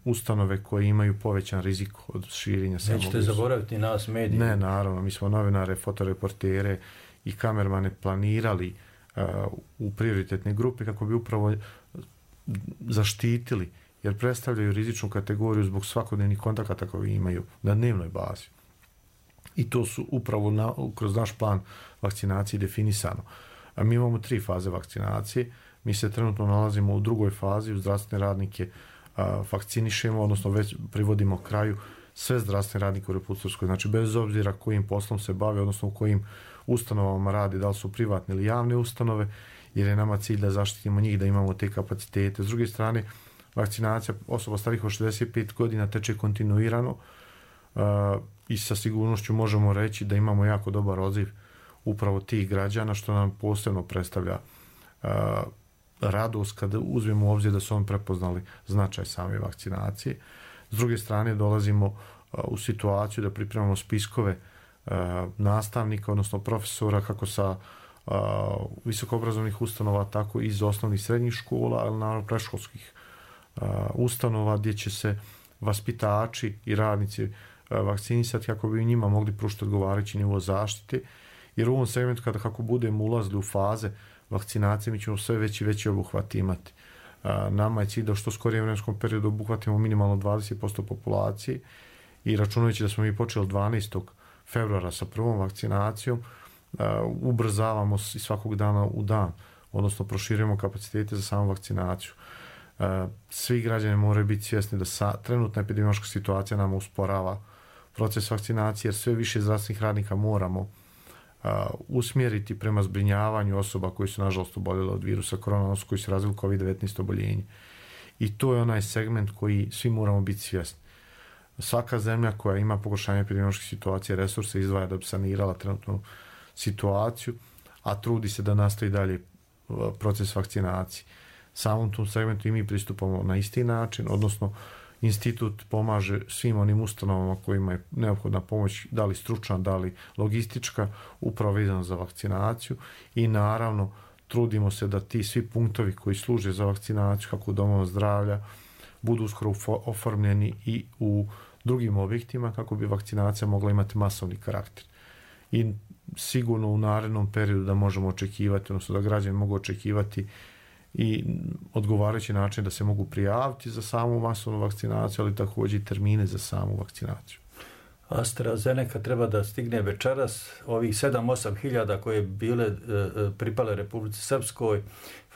ustanove koje imaju povećan rizik od širenja samog virusa. Nećete zaboraviti nas medije? Ne, naravno. Mi smo novinare, fotoreportere i kamermane planirali uh, u prioritetne grupe kako bi upravo zaštitili, jer predstavljaju rizičnu kategoriju zbog svakodnevnih kontakata koje imaju na dnevnoj bazi. I to su upravo na, kroz naš plan vakcinacije definisano. A mi imamo tri faze vakcinacije. Mi se trenutno nalazimo u drugoj fazi, u zdravstvene radnike vakcinišemo, odnosno već privodimo kraju sve zdravstvene radnike u Republici Srpskoj. Znači, bez obzira kojim poslom se bave, odnosno u kojim ustanovama radi, da li su privatne ili javne ustanove, jer je nama cilj da zaštitimo njih, da imamo te kapacitete. S druge strane, vakcinacija osoba starih od šezdeset pet godina teče kontinuirano uh, i sa sigurnošću možemo reći da imamo jako dobar odziv upravo tih građana, što nam posebno predstavlja uh, radost kada uzmemo u obzir da su oni prepoznali značaj same vakcinacije. S druge strane dolazimo u situaciju da pripremamo spiskove nastavnika, odnosno profesora, kako sa visokoobrazovnih ustanova, tako i iz osnovnih srednjih škola, ali naravno predškolskih ustanova, gdje će se vaspitači i radnici vakcinisati kako bi njima mogli pružiti odgovarajući nivo zaštite, jer u ovom segmentu kada kako budemo ulazili u faze vakcinacije, mi ćemo sve veći veći obuhvat imati. Nama je cilj da u što skorijem vremenskom periodu obuhvatimo minimalno dvadeset posto populacije i računajući da smo mi počeli dvanaestog februara sa prvom vakcinacijom, ubrzavamo i svakog dana u dan, odnosno proširujemo kapacitete za samu vakcinaciju. Svi građani moraju biti svjesni da sa, trenutna epidemiološka situacija nama usporava proces vakcinacije, jer sve više zdravstvenih radnika moramo uh, usmjeriti prema zbrinjavanju osoba koji su nažalost oboljele od virusa korona, odnosno koji su razvili kovid devetnaest oboljenje. I to je onaj segment koji svi moramo biti svjesni. Svaka zemlja koja ima pogoršanje epidemiološke situacije resurse izdvaja da bi sanirala trenutnu situaciju, a trudi se da nastavi dalje proces vakcinacije. Samom tom segmentu i mi pristupamo na isti način, odnosno institut pomaže svim onim ustanovama kojima je neophodna pomoć, da li stručna, da li logistička, upravo vezano za vakcinaciju i naravno trudimo se da ti svi punktovi koji služe za vakcinaciju, kako u domovima zdravlja, budu uskoro oformljeni i u drugim objektima kako bi vakcinacija mogla imati masovni karakter. I sigurno u narednom periodu da možemo očekivati, odnosno da građani mogu očekivati i odgovarajući način da se mogu prijaviti za samu masovnu vakcinaciju, ali također i termine za samu vakcinaciju. AstraZeneca treba da stigne večeras, ovih sedam osam hiljada koje bile e, pripale Republici Srpskoj,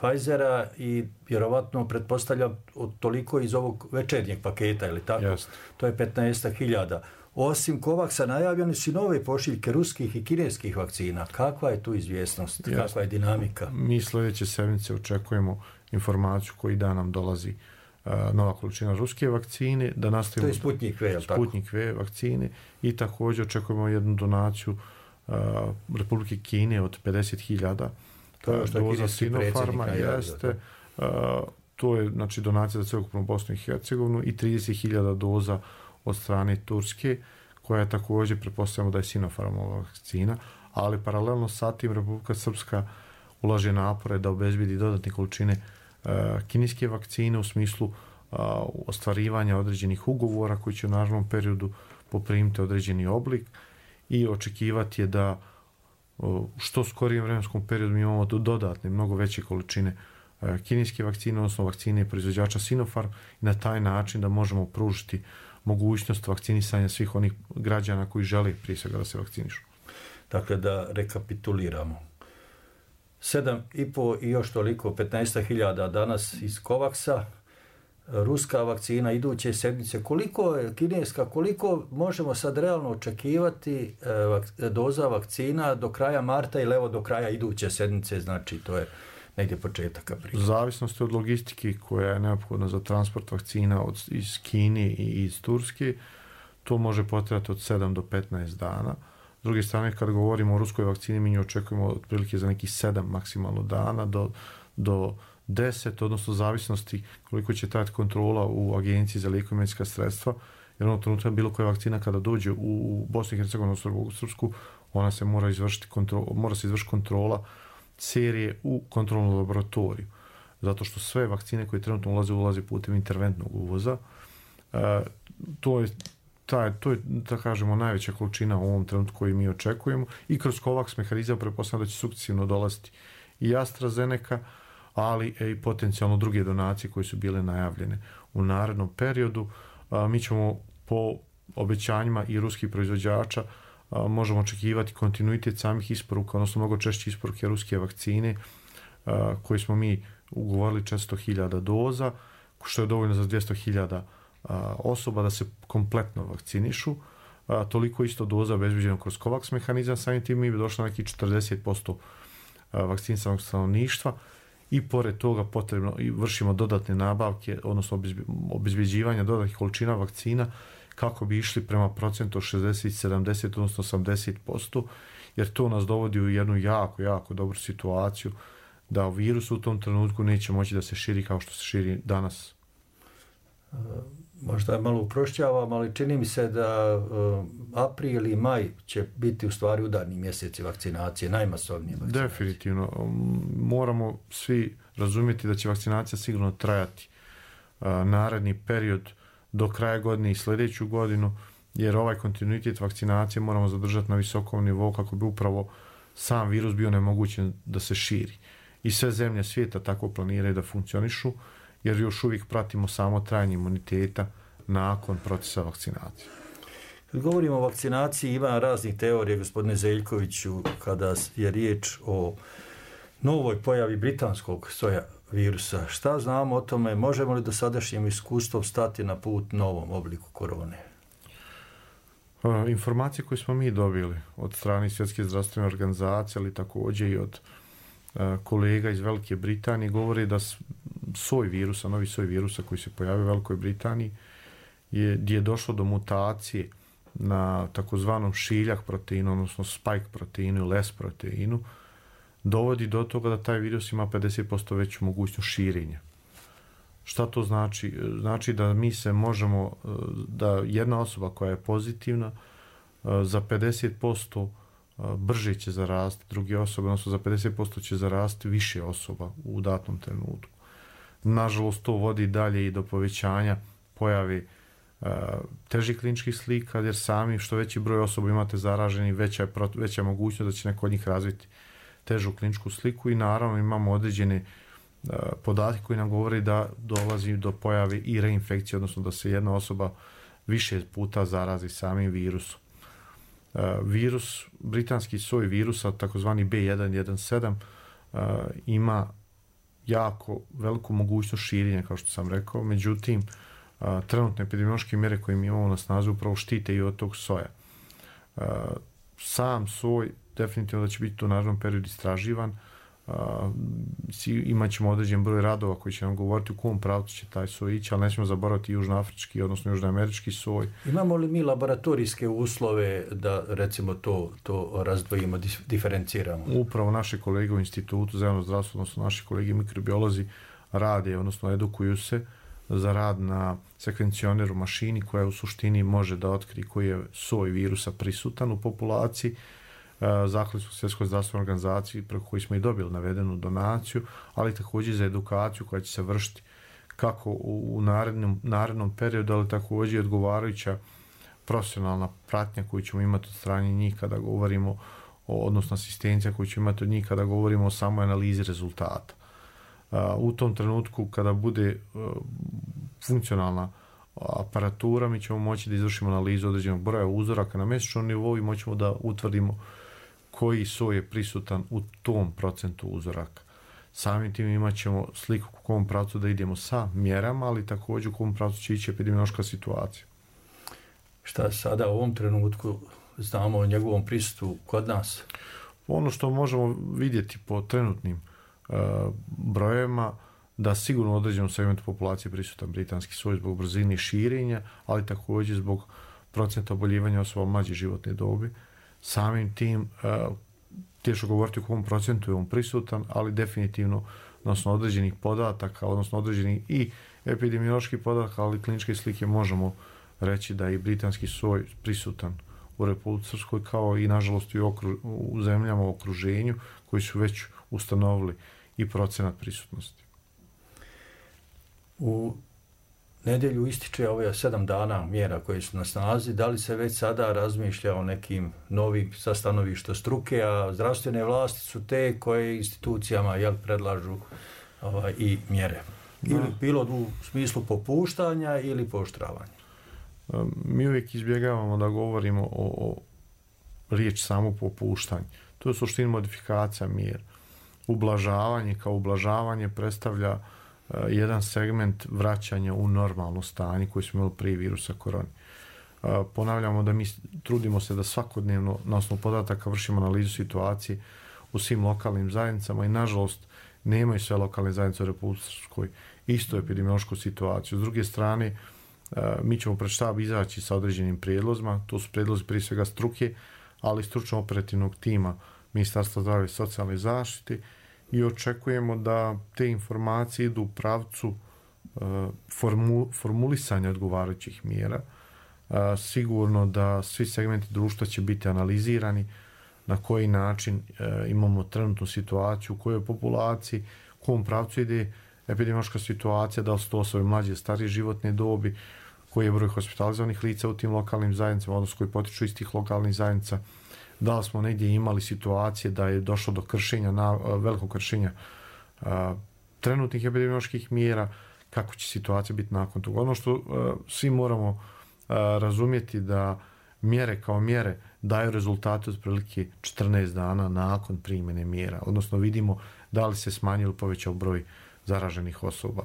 Pfizera, i vjerovatno pretpostavljam toliko iz ovog večernjeg paketa, ili tako? Just. To je petnaest hiljada. Osim Covaxa najavljene su nove pošiljke ruskih i kineskih vakcina. Kakva je tu izvjesnost? Just. Kakva je dinamika? Mi sljedeće sedmice očekujemo informaciju koji dan nam dolazi uh, nova količina ruske vakcine. Da nastavimo, to je Sputnik V, tako? Sputnik V vakcine i također očekujemo jednu donaciju uh, Republike Kine od pedeset hiljada uh, doza Sinopharma. Jeste. Uh, to je znači donacija za cjelokupnu Bosnu i Hercegovinu i trideset hiljada doza od strane Turske, koja je također, pretpostavljamo da je Sinopharmova vakcina, ali paralelno sa tim Republika Srpska ulaže napore da obezbedi dodatne količine uh, kineske vakcine u smislu uh, ostvarivanja određenih ugovora koji će u narednom periodu poprimiti određeni oblik i očekivati je da uh, što skorijem vremenskom periodu mi imamo dodatne, mnogo veće količine uh, kineske vakcine, odnosno vakcine proizvođača Sinopharm, i na taj način da možemo pružiti mogućnost vakcinisanja svih onih građana koji žele prije svega da se vakcinišu. Dakle, da rekapituliramo. sedam i po i još toliko, petnaest hiljada danas iz Covaxa, ruska vakcina iduće sedmice. Koliko je kineska, koliko možemo sad realno očekivati e, doza vakcina do kraja marta ili evo do kraja iduće sedmice, znači to je negdje početak aprila? U zavisnosti od logistike koja je neophodna za transport vakcina od, iz Kine i iz Turske, to može potrajati od sedam do petnaest dana. S druge strane, kad govorimo o ruskoj vakcini, mi nju očekujemo otprilike za nekih sedam maksimalno dana do, do deset, odnosno zavisnosti koliko će trajati kontrola u Agenciji za lijekove i medicinska sredstva, jer ono trenutka bilo koja vakcina kada dođe u Bosnu i Hercegovinu, u Srpsku, ona se mora izvršiti kontrola, mora se izvršiti kontrola serije u kontrolnom laboratoriju. Zato što sve vakcine koje trenutno ulaze, ulaze putem interventnog uvoza. E, to je taj, to je, da kažemo, najveća količina u ovom trenutku koju mi očekujemo i kroz COVAX mehanizam pretpostavljam da će sukcesivno dolaziti i AstraZeneca, ali i potencijalno druge donacije koje su bile najavljene u narednom periodu. A, mi ćemo po obećanjima i ruskih proizvođača a, možemo očekivati kontinuitet samih isporuka, odnosno mnogo češće isporuke ruske vakcine a, koje smo mi ugovorili četiristo hiljada doza, što je dovoljno za dvjesto hiljada osoba da se kompletno vakcinišu. A, toliko isto doza obezbeđeno kroz COVAX mehanizam, samim tim mi bi došlo na neki četrdeset posto vakcinisanog stanovništva i pored toga potrebno i vršimo dodatne nabavke, odnosno obezbeđivanja dodatnih količina vakcina kako bi išli prema procentu šezdeset, sedamdeset, odnosno osamdeset posto, jer to nas dovodi u jednu jako, jako dobru situaciju da virus u tom trenutku neće moći da se širi kao što se širi danas. Možda malo uprošćavam, ali čini mi se da uh, april i maj će biti u stvari udarni mjeseci vakcinacije, najmasovnije vakcinacije. Definitivno. Moramo svi razumjeti da će vakcinacija sigurno trajati uh, naredni period do kraja godine i sljedeću godinu, jer ovaj kontinuitet vakcinacije moramo zadržati na visokom nivou kako bi upravo sam virus bio nemogućen da se širi. I sve zemlje svijeta tako planiraju da funkcionišu, jer još uvijek pratimo samo trajanje imuniteta nakon procesa vakcinacije. Kad govorimo o vakcinaciji, ima raznih teorija, gospodine Zeljkoviću, kada je riječ o novoj pojavi britanskog soja virusa. Šta znamo o tome? Možemo li do sadašnjem iskustvom stati na put novom obliku korone? Informacije koje smo mi dobili od strane Svjetske zdravstvene organizacije, ali također i od kolega iz Velike Britanije, govori da soj virusa, novi soj virusa koji se pojavio u Velikoj Britaniji, je, gdje je došlo do mutacije na takozvanom šiljak proteinu, odnosno spike proteinu ili S proteinu, dovodi do toga da taj virus ima pedeset posto veću mogućnost širenja. Šta to znači? Znači da mi se možemo, da jedna osoba koja je pozitivna za pedeset posto brže će zarasti druge osobe, odnosno za pedeset posto će zarasti više osoba u datom trenutku. Nažalost, to vodi dalje i do povećanja pojave uh, težih kliničkih slika, jer sami što veći broj osoba imate zaraženi, veća je, veća je mogućnost da će neko od njih razviti težu kliničku sliku i naravno imamo određene uh, podatke koji nam govori da dolazi do pojave i reinfekcije, odnosno da se jedna osoba više puta zarazi samim virusom. Uh, virus, britanski soj virusa, takozvani B jedan jedan sedam, uh, ima jako veliku mogućnost širenja, kao što sam rekao, međutim, uh, trenutne epidemiološke mjere koje mi imamo na snazi upravo štite i od tog soja. Uh, sam soj definitivno da će biti u narednom periodu istraživan, uh, imat ćemo određen broj radova koji će nam govoriti u kom pravcu će taj soj ići, ali nećemo zaboraviti južnoafrički, odnosno južnoamerički soj. Imamo li mi laboratorijske uslove da recimo to, to razdvojimo, diferenciramo? Upravo naše kolege u institutu za javno zdravstvo, odnosno naši kolege mikrobiolozi rade, odnosno edukuju se za rad na sekvencioneru mašini koja u suštini može da otkrije koji je soj virusa prisutan u populaciji. Zahvali smo Svjetskoj zdravstvenoj organizaciji preko koji smo i dobili navedenu donaciju, ali također za edukaciju koja će se vršiti kako u narednom, narednom periodu, ali također i odgovarajuća profesionalna pratnja koju ćemo imati od strane njih kada govorimo o, odnosno asistencija koju ćemo imati od njih kada govorimo o samoj analizi rezultata. U tom trenutku kada bude funkcionalna aparatura, mi ćemo moći da izvršimo analizu određenog broja uzoraka na mjesečnom nivou i moćemo da utvrdimo koji soj je prisutan u tom procentu uzoraka. Samim tim imat ćemo sliku u kom pravcu da idemo sa mjerama, ali također u kom pravcu će ići epidemiološka situacija. Šta sada u ovom trenutku znamo o njegovom prisustvu kod nas? Ono što možemo vidjeti po trenutnim uh, brojevima, da sigurno u određenom segmentu populacije prisutan britanski soj zbog brzine širenja, ali također zbog procenta oboljevanja osoba mlađe životne dobi. Samim tim, uh, teško govoriti u kom procentu je on prisutan, ali definitivno odnosno određenih podataka, odnosno određenih i epidemioloških podataka, ali kliničke slike možemo reći da je i britanski soj prisutan u Republici Srpskoj, kao i nažalost i u, okru, u zemljama u okruženju koji su već ustanovili i procenat prisutnosti. U nedjelju ističe ove sedam dana mjera koje su na snazi. Da li se već sada razmišlja o nekim novim sa stanovišta struke, a zdravstvene vlasti su te koje institucijama jel, predlažu ovaj, i mjere? Ili no. bilo u smislu popuštanja ili pooštravanja? Mi uvijek izbjegavamo da govorimo o, o riječ samo popuštanje. To je suština modifikacija mjera. Ublažavanje kao ublažavanje predstavlja uh, jedan segment vraćanja u normalno stanje koje smo imali prije virusa korone. Uh, ponavljamo da mi trudimo se da svakodnevno na osnovu podataka vršimo analizu situacije u svim lokalnim zajednicama i nažalost nemaju sve lokalne zajednice u Republici Srpskoj istu epidemiološku situaciju. S druge strane, uh, mi ćemo pred štab izaći sa određenim prijedlozima, to su prijedlozi prije svega struke, ali i stručno operativnog tima Ministarstva zdravlja i socijalne zaštite i očekujemo da te informacije idu u pravcu formu, formulisanja odgovarajućih mjera. Sigurno da svi segmenti društva će biti analizirani, na koji način imamo trenutnu situaciju, u kojoj populaciji, u kom pravcu ide epidemiološka situacija, da li su to osobe mlađe, starije životne dobi, koji je broj hospitalizovanih lica u tim lokalnim zajednicama, odnosno koji potiču iz tih lokalnih zajednica, da li smo negdje imali situacije da je došlo do kršenja, na, velikog kršenja a, trenutnih epidemioloških mjera, kako će situacija biti nakon toga. Ono što a, svi moramo a, razumjeti da mjere kao mjere daju rezultate otprilike četrnaest dana nakon primjene mjera, odnosno vidimo da li se smanjio ili povećao broj zaraženih osoba.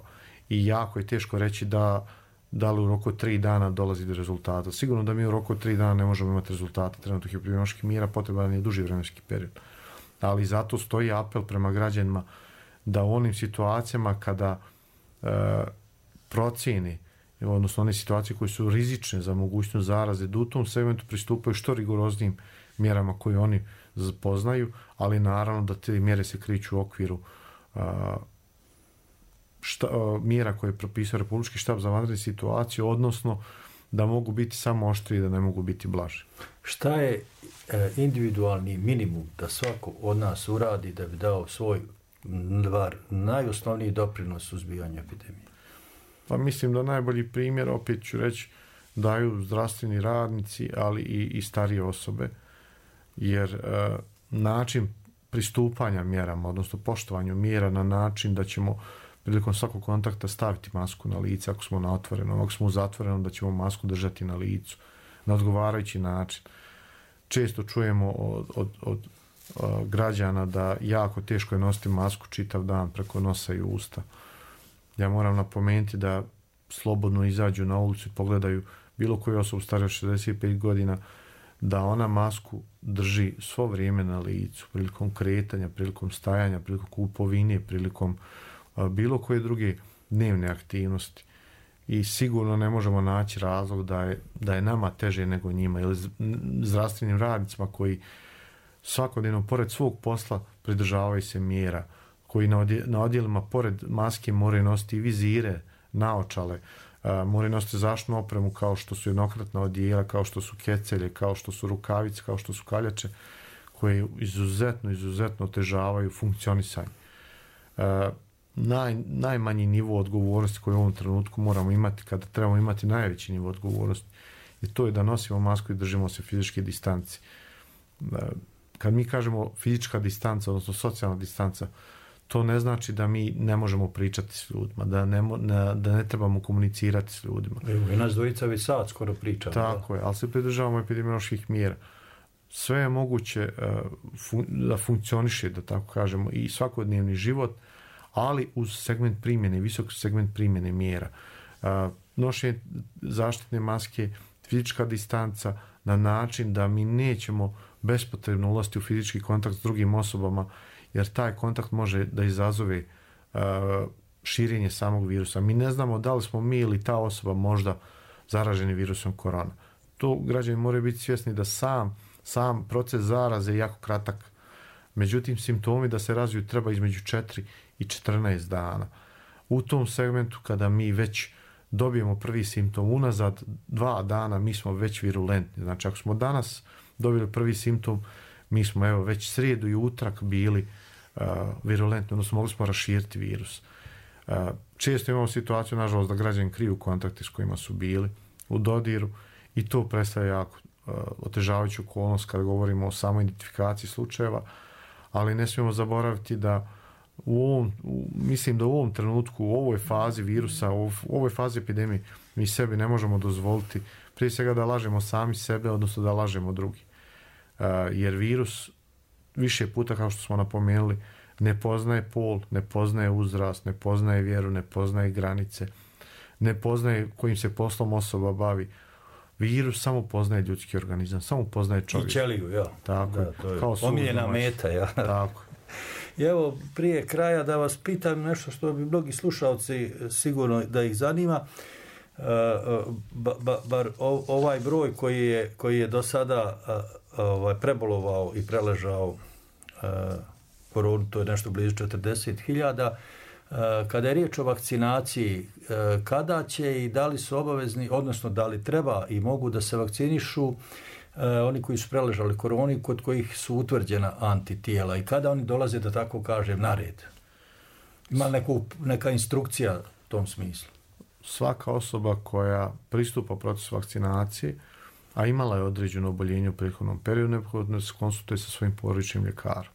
I jako je teško reći da da li u roku tri dana dolazi do rezultata. Sigurno da mi u roku tri dana ne možemo imati rezultate trenutnih epidemioloških mjera, potreban je duži vremenski period. Ali zato stoji apel prema građanima da u onim situacijama kada e, procjeni, odnosno one situacije koje su rizične za mogućnost zaraze, da u tom segmentu pristupaju što rigoroznijim mjerama koje oni poznaju, ali naravno da te mjere se kriču u okviru a, šta, a, mjera koje je propisao Republički štab za vanredne situacije, odnosno da mogu biti samo oštriji, da ne mogu biti blaži. Šta je e, individualni minimum da svako od nas uradi da bi dao svoj var, najosnovniji doprinos suzbijanju epidemije? Pa mislim da najbolji primjer, opet ću reći, daju zdravstveni radnici, ali i, i starije osobe, jer e, način pristupanja mjerama, odnosno poštovanju mjera na način da ćemo prilikom svakog kontakta staviti masku na lice, ako smo na otvorenom, ako smo u zatvorenom, da ćemo masku držati na licu, na odgovarajući način. Često čujemo od, od, od, od građana da jako teško je nositi masku čitav dan preko nosa i usta. Ja moram napomenuti da slobodno izađu na ulicu i pogledaju bilo koju osobu stariju od šezdeset pet godina, da ona masku drži svo vrijeme na licu, prilikom kretanja, prilikom stajanja, prilikom kupovine, prilikom a, bilo koje druge dnevne aktivnosti. I sigurno ne možemo naći razlog da je, da je nama teže nego njima, ili zdravstvenim radnicima koji svakodnevno pored svog posla pridržavaju se mjera, koji na odjelima pored maske moraju nositi vizire, naočale, moraju nositi zaštitnu opremu kao što su jednokratna odjela, kao što su kecelje, kao što su rukavice, kao što su kaljače, koje izuzetno, izuzetno otežavaju funkcionisanje. Naj, najmanji nivo odgovornosti koji u ovom trenutku moramo imati, kada trebamo imati najveći nivo odgovornosti, i to je da nosimo masku i držimo se fizičke distanci. Kad mi kažemo fizička distanca, odnosno socijalna distanca, to ne znači da mi ne možemo pričati s ljudima, da ne, ne, da ne trebamo komunicirati s ljudima. Evo, i nas dvojica već sad skoro pričamo. Tako da. Je, ali se pridržavamo epidemioloških mjera. Sve je moguće uh, fun, da funkcioniše, da tako kažemo, i svakodnevni život, ali uz segment primjene, visok segment primjene mjera. Uh, nošenje zaštitne maske, fizička distanca na način da mi nećemo bespotrebno ulaziti u fizički kontakt s drugim osobama, jer taj kontakt može da izazove uh, širenje samog virusa. Mi ne znamo da li smo mi ili ta osoba možda zaraženi virusom korona. To građani moraju biti svjesni da sam, sam proces zaraze je jako kratak. Međutim, simptomi da se razviju treba između četiri i četrnaest dana. U tom segmentu kada mi već dobijemo prvi simptom unazad dva dana, mi smo već virulentni. Znači, ako smo danas dobili prvi simptom, mi smo evo već srijedu i utrak bili uh, virulentni, odnosno mogli smo raširiti virus. Uh, često imamo situaciju, nažalost, da građani kriju kontakte s kojima su bili u dodiru i to predstavlja jako uh, otežavajuću okolnost kada govorimo o samoj identifikaciji slučajeva, ali ne smijemo zaboraviti da u ovom, u, mislim da u ovom trenutku, u ovoj fazi virusa, u ovoj fazi epidemije, mi sebi ne možemo dozvoliti prije svega da lažemo sami sebe, odnosno da lažemo drugi. Uh, jer virus više puta, kao što smo napomenuli, ne poznaje pol, ne poznaje uzrast, ne poznaje vjeru, ne poznaje granice, ne poznaje kojim se poslom osoba bavi. Virus samo poznaje ljudski organizam, samo poznaje čovjek. I ćeliju, ja. Tako, da, to je kao omiljena meta, ja. Tako. I evo, prije kraja da vas pitam nešto što bi mnogi slušalci sigurno da ih zanima. Uh, ba, ba, bar ovaj broj koji je, koji je do sada uh, ovaj, prebolovao i preležao uh, koronu, to je nešto blizu četrdeset hiljada. Kada je riječ o vakcinaciji, kada će i da li su obavezni, odnosno da li treba i mogu da se vakcinišu oni koji su preležali koroni, kod kojih su utvrđena antitijela i kada oni dolaze, da tako kažem, na red? Ima neku, neka instrukcija u tom smislu? Svaka osoba koja pristupa procesu vakcinacije, a imala je određeno oboljenje u prethodnom periodu, neophodno se konsultuje sa svojim porodičnim ljekarom.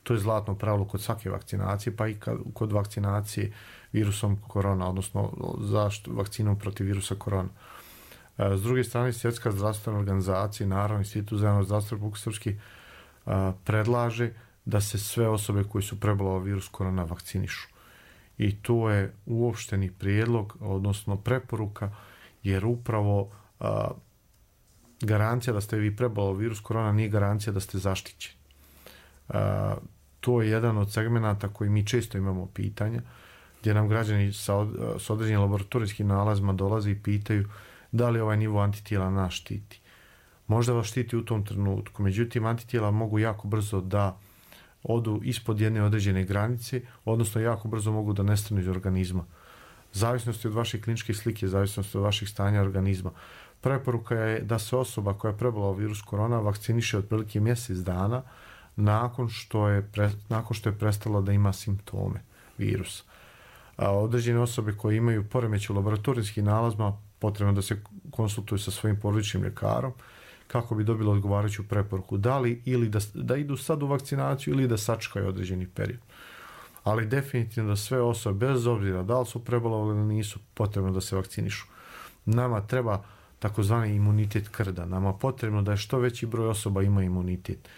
To je zlatno pravilo kod svake vakcinacije, pa i kod vakcinacije virusom korona, odnosno zaštitu vakcinom protiv virusa korona. S druge strane, Svjetska zdravstvena organizacija i naravno Institut za javno zdravstvo Republike Srpske predlaže da se sve osobe koji su preboleli virus korona vakcinišu. I to je uopšteni prijedlog, odnosno preporuka, jer upravo a, garancija da ste vi preboleli virus korona nije garancija da ste zaštićeni. A, to je jedan od segmenata koji mi često imamo pitanja, gdje nam građani sa, od, sa određenim laboratorijskim nalazima dolaze i pitaju da li ovaj nivo antitijela nas štiti. Možda vas štiti u tom trenutku, međutim antitijela mogu jako brzo da odu ispod jedne određene granice, odnosno jako brzo mogu da nestanu iz organizma. Zavisnosti od vaše kliničke slike, zavisnosti od vaših stanja organizma. Preporuka je da se osoba koja je prebolela virus korona vakciniše otprilike mjesec dana nakon što je, pre, nakon što je prestala da ima simptome virusa. A određene osobe koje imaju poremećaj u laboratorijskim nalazima potrebno da se konsultuju sa svojim porodičnim ljekarom kako bi dobili odgovarajuću preporuku. Da li ili da, da idu sad u vakcinaciju ili da sačekaju određeni period. Ali definitivno da sve osobe, bez obzira da li su prebolele ili nisu, potrebno da se vakcinišu. Nama treba takozvani imunitet krda. Nama potrebno da je što veći broj osoba ima imunitet.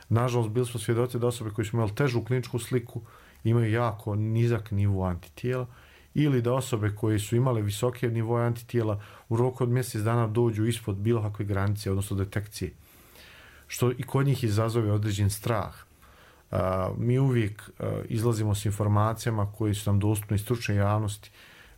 Nažalost, bili smo svjedoci da osobe koji su imali težu kliničku sliku imaju jako nizak nivo antitijela, ili da osobe koje su imale visoke nivoje antitijela u roku od mjesec dana dođu ispod bilo kakve granice, odnosno detekcije. Što i kod njih izazove određen strah. Uh, mi uvijek uh, izlazimo s informacijama koje su nam dostupne iz stručne javnosti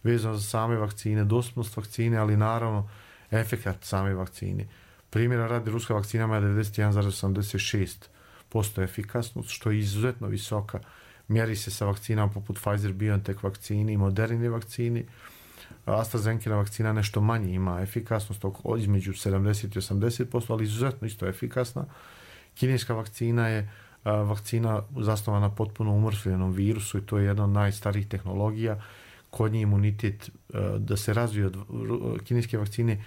vezano za same vakcine, dostupnost vakcine, ali naravno efekat same vakcine. Primjera radi, ruska vakcina ima devedeset jedan zarez osamdeset šest posto efikasnost, što je izuzetno visoka. Mjeri se sa vakcinama poput Pfizer-BioNTech vakcini i Moderni vakcini. AstraZeneca vakcina nešto manje ima efikasnost, između sedamdeset i osamdeset posto, ali izuzetno isto efikasna. Kineska vakcina je vakcina zasnovana na potpuno umrtvljenom virusu i to je jedna od najstarijih tehnologija. Kod nje imunitet da se razvije od kineske vakcine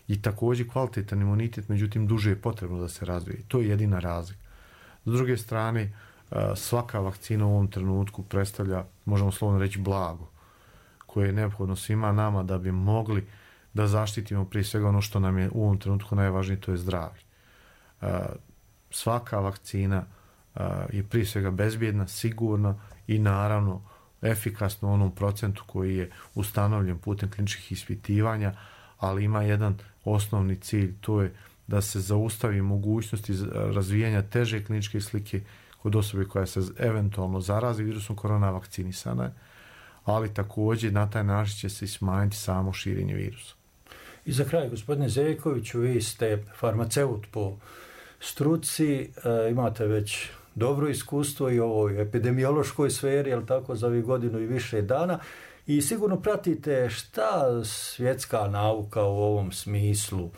i također kvalitetan imunitet, međutim duže je potrebno da se razvije. To je jedina razlika. S druge strane, svaka vakcina u ovom trenutku predstavlja, možemo slovno reći, blago koje je neophodno svima nama da bi mogli da zaštitimo prije svega ono što nam je u ovom trenutku najvažnije, to je zdravlje. Svaka vakcina je prije svega bezbjedna, sigurna i naravno efikasna u onom procentu koji je ustanovljen putem kliničkih ispitivanja, ali ima jedan osnovni cilj, to je da se zaustavi mogućnosti razvijanja teže kliničke slike kod osobe koja se eventualno zarazi virusom korona, vakcinisana je, ali također na taj način će se smanjiti samo širenje virusa. I za kraj, gospodine Zeljkoviću, vi ste farmaceut po struci, e, imate već dobro iskustvo i u ovoj epidemiološkoj sferi, jel tako, za ovih godinu i više dana, i sigurno pratite šta svjetska nauka u ovom smislu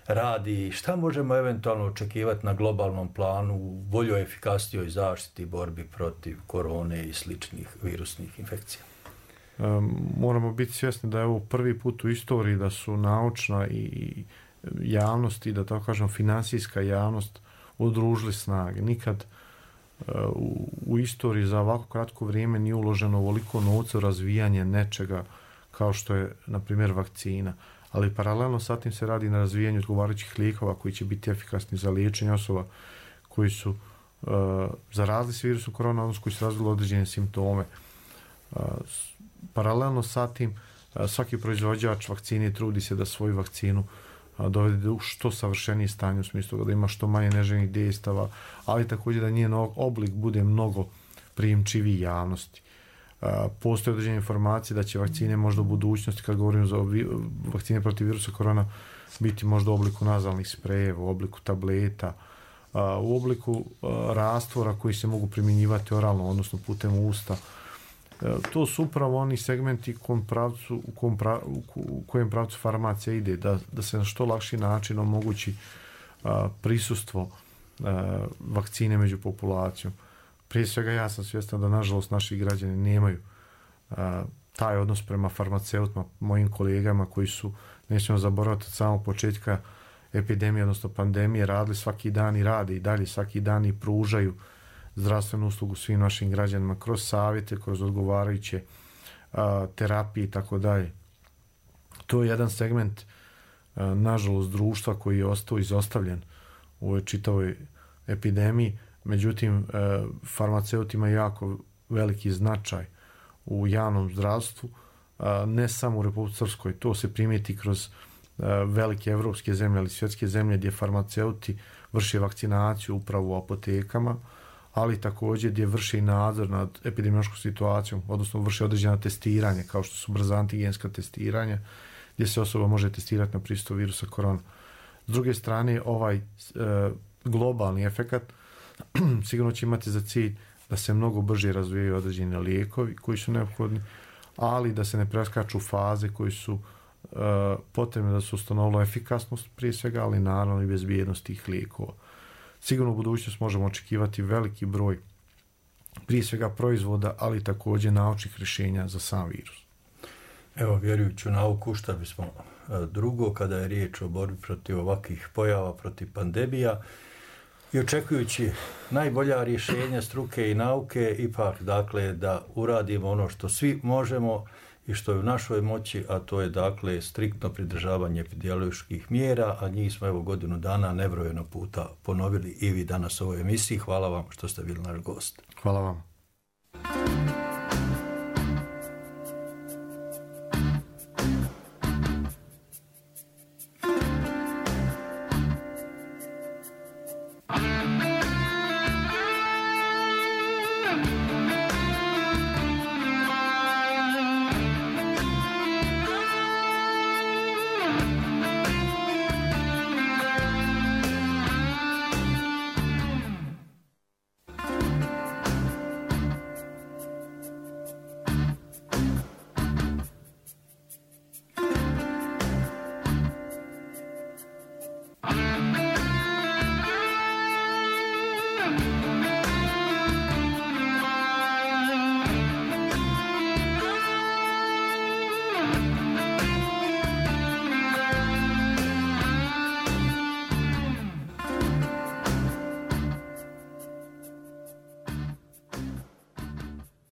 radi, šta možemo eventualno očekivati na globalnom planu u boljoj, efikasnijoj zaštiti i borbi protiv korone i sličnih virusnih infekcija. Um, moramo biti svjesni da je ovo prvi put u istoriji da su naučna i javnost i da tako kažem finansijska javnost udružili snage. Nikad uh, u, u istoriji za ovako kratko vrijeme nije uloženo ovoliko novca u razvijanje nečega kao što je, na primjer, vakcina. Ali paralelno sa tim se radi na razvijanju odgovarajućih lijekova koji će biti efikasni za liječenje osoba koji su uh, zarazili se virusom korona, odnosno koji su razvili određene simptome. Uh, paralelno sa tim uh, svaki proizvođač vakcine trudi se da svoju vakcinu uh, dovede do što savršenije stanje, u smislu da ima što manje neželjenih dejstava, ali također da njen oblik bude mnogo prijemčiviji javnosti. Uh, postoje određene informacije da će vakcine možda u budućnosti, kad govorimo za vakcine protiv virusa korona, biti možda u obliku nazalnih sprejeva, u obliku tableta, u obliku rastvora koji se mogu primjenjivati oralno, odnosno putem usta. To su upravo oni segmenti kom pravcu, u, kom pra, u kojem pravcu farmacija ide, da, da se na što lakši način omogući a, prisustvo a, vakcine među populacijom. Prije svega ja sam svjestan da nažalost naši građani nemaju a, taj odnos prema farmaceutima, mojim kolegama koji su, nećemo zaboraviti od samog početka epidemije, odnosno pandemije, radili svaki dan i rade i dalje svaki dan i pružaju zdravstvenu uslugu svim našim građanima kroz savjete, kroz odgovarajuće a, terapije i tako dalje. To je jedan segment a, nažalost društva koji je ostao izostavljen u ovoj čitavoj epidemiji. Međutim, a, farmaceuti imaju jako veliki značaj u javnom zdravstvu, a, ne samo u Republici Srpskoj. To se primijeti kroz a, velike evropske zemlje, ali svjetske zemlje gdje farmaceuti vrše vakcinaciju upravo u apotekama, ali također gdje vrše i nadzor nad epidemiološkom situacijom, odnosno vrše određena testiranja, kao što su brza antigenska testiranja, gdje se osoba može testirati na prisustvo virusa korona. S druge strane, ovaj e, globalni efekat sigurno će imati za cilj da se mnogo brže razvijaju određeni lijekovi koji su neophodni, ali da se ne preskaču faze koji su e, potrebne da se ustanovilo efikasnost prije svega, ali naravno i bezbjednost tih lijekova. Sigurno u budućnosti možemo očekivati veliki broj prije svega proizvoda, ali također naučnih rješenja za sam virus. Evo, vjerujući u nauku, šta bismo drugo kada je riječ o borbi protiv ovakvih pojava, protiv pandemija i očekujući najbolja rješenja struke i nauke, ipak dakle da uradimo ono što svi možemo i što je u našoj moći, a to je dakle striktno pridržavanje epidemioloških mjera, a njih smo evo godinu dana nebrojeno puta ponovili i vi danas u ovoj emisiji. Hvala vam što ste bili naš gost. Hvala vam.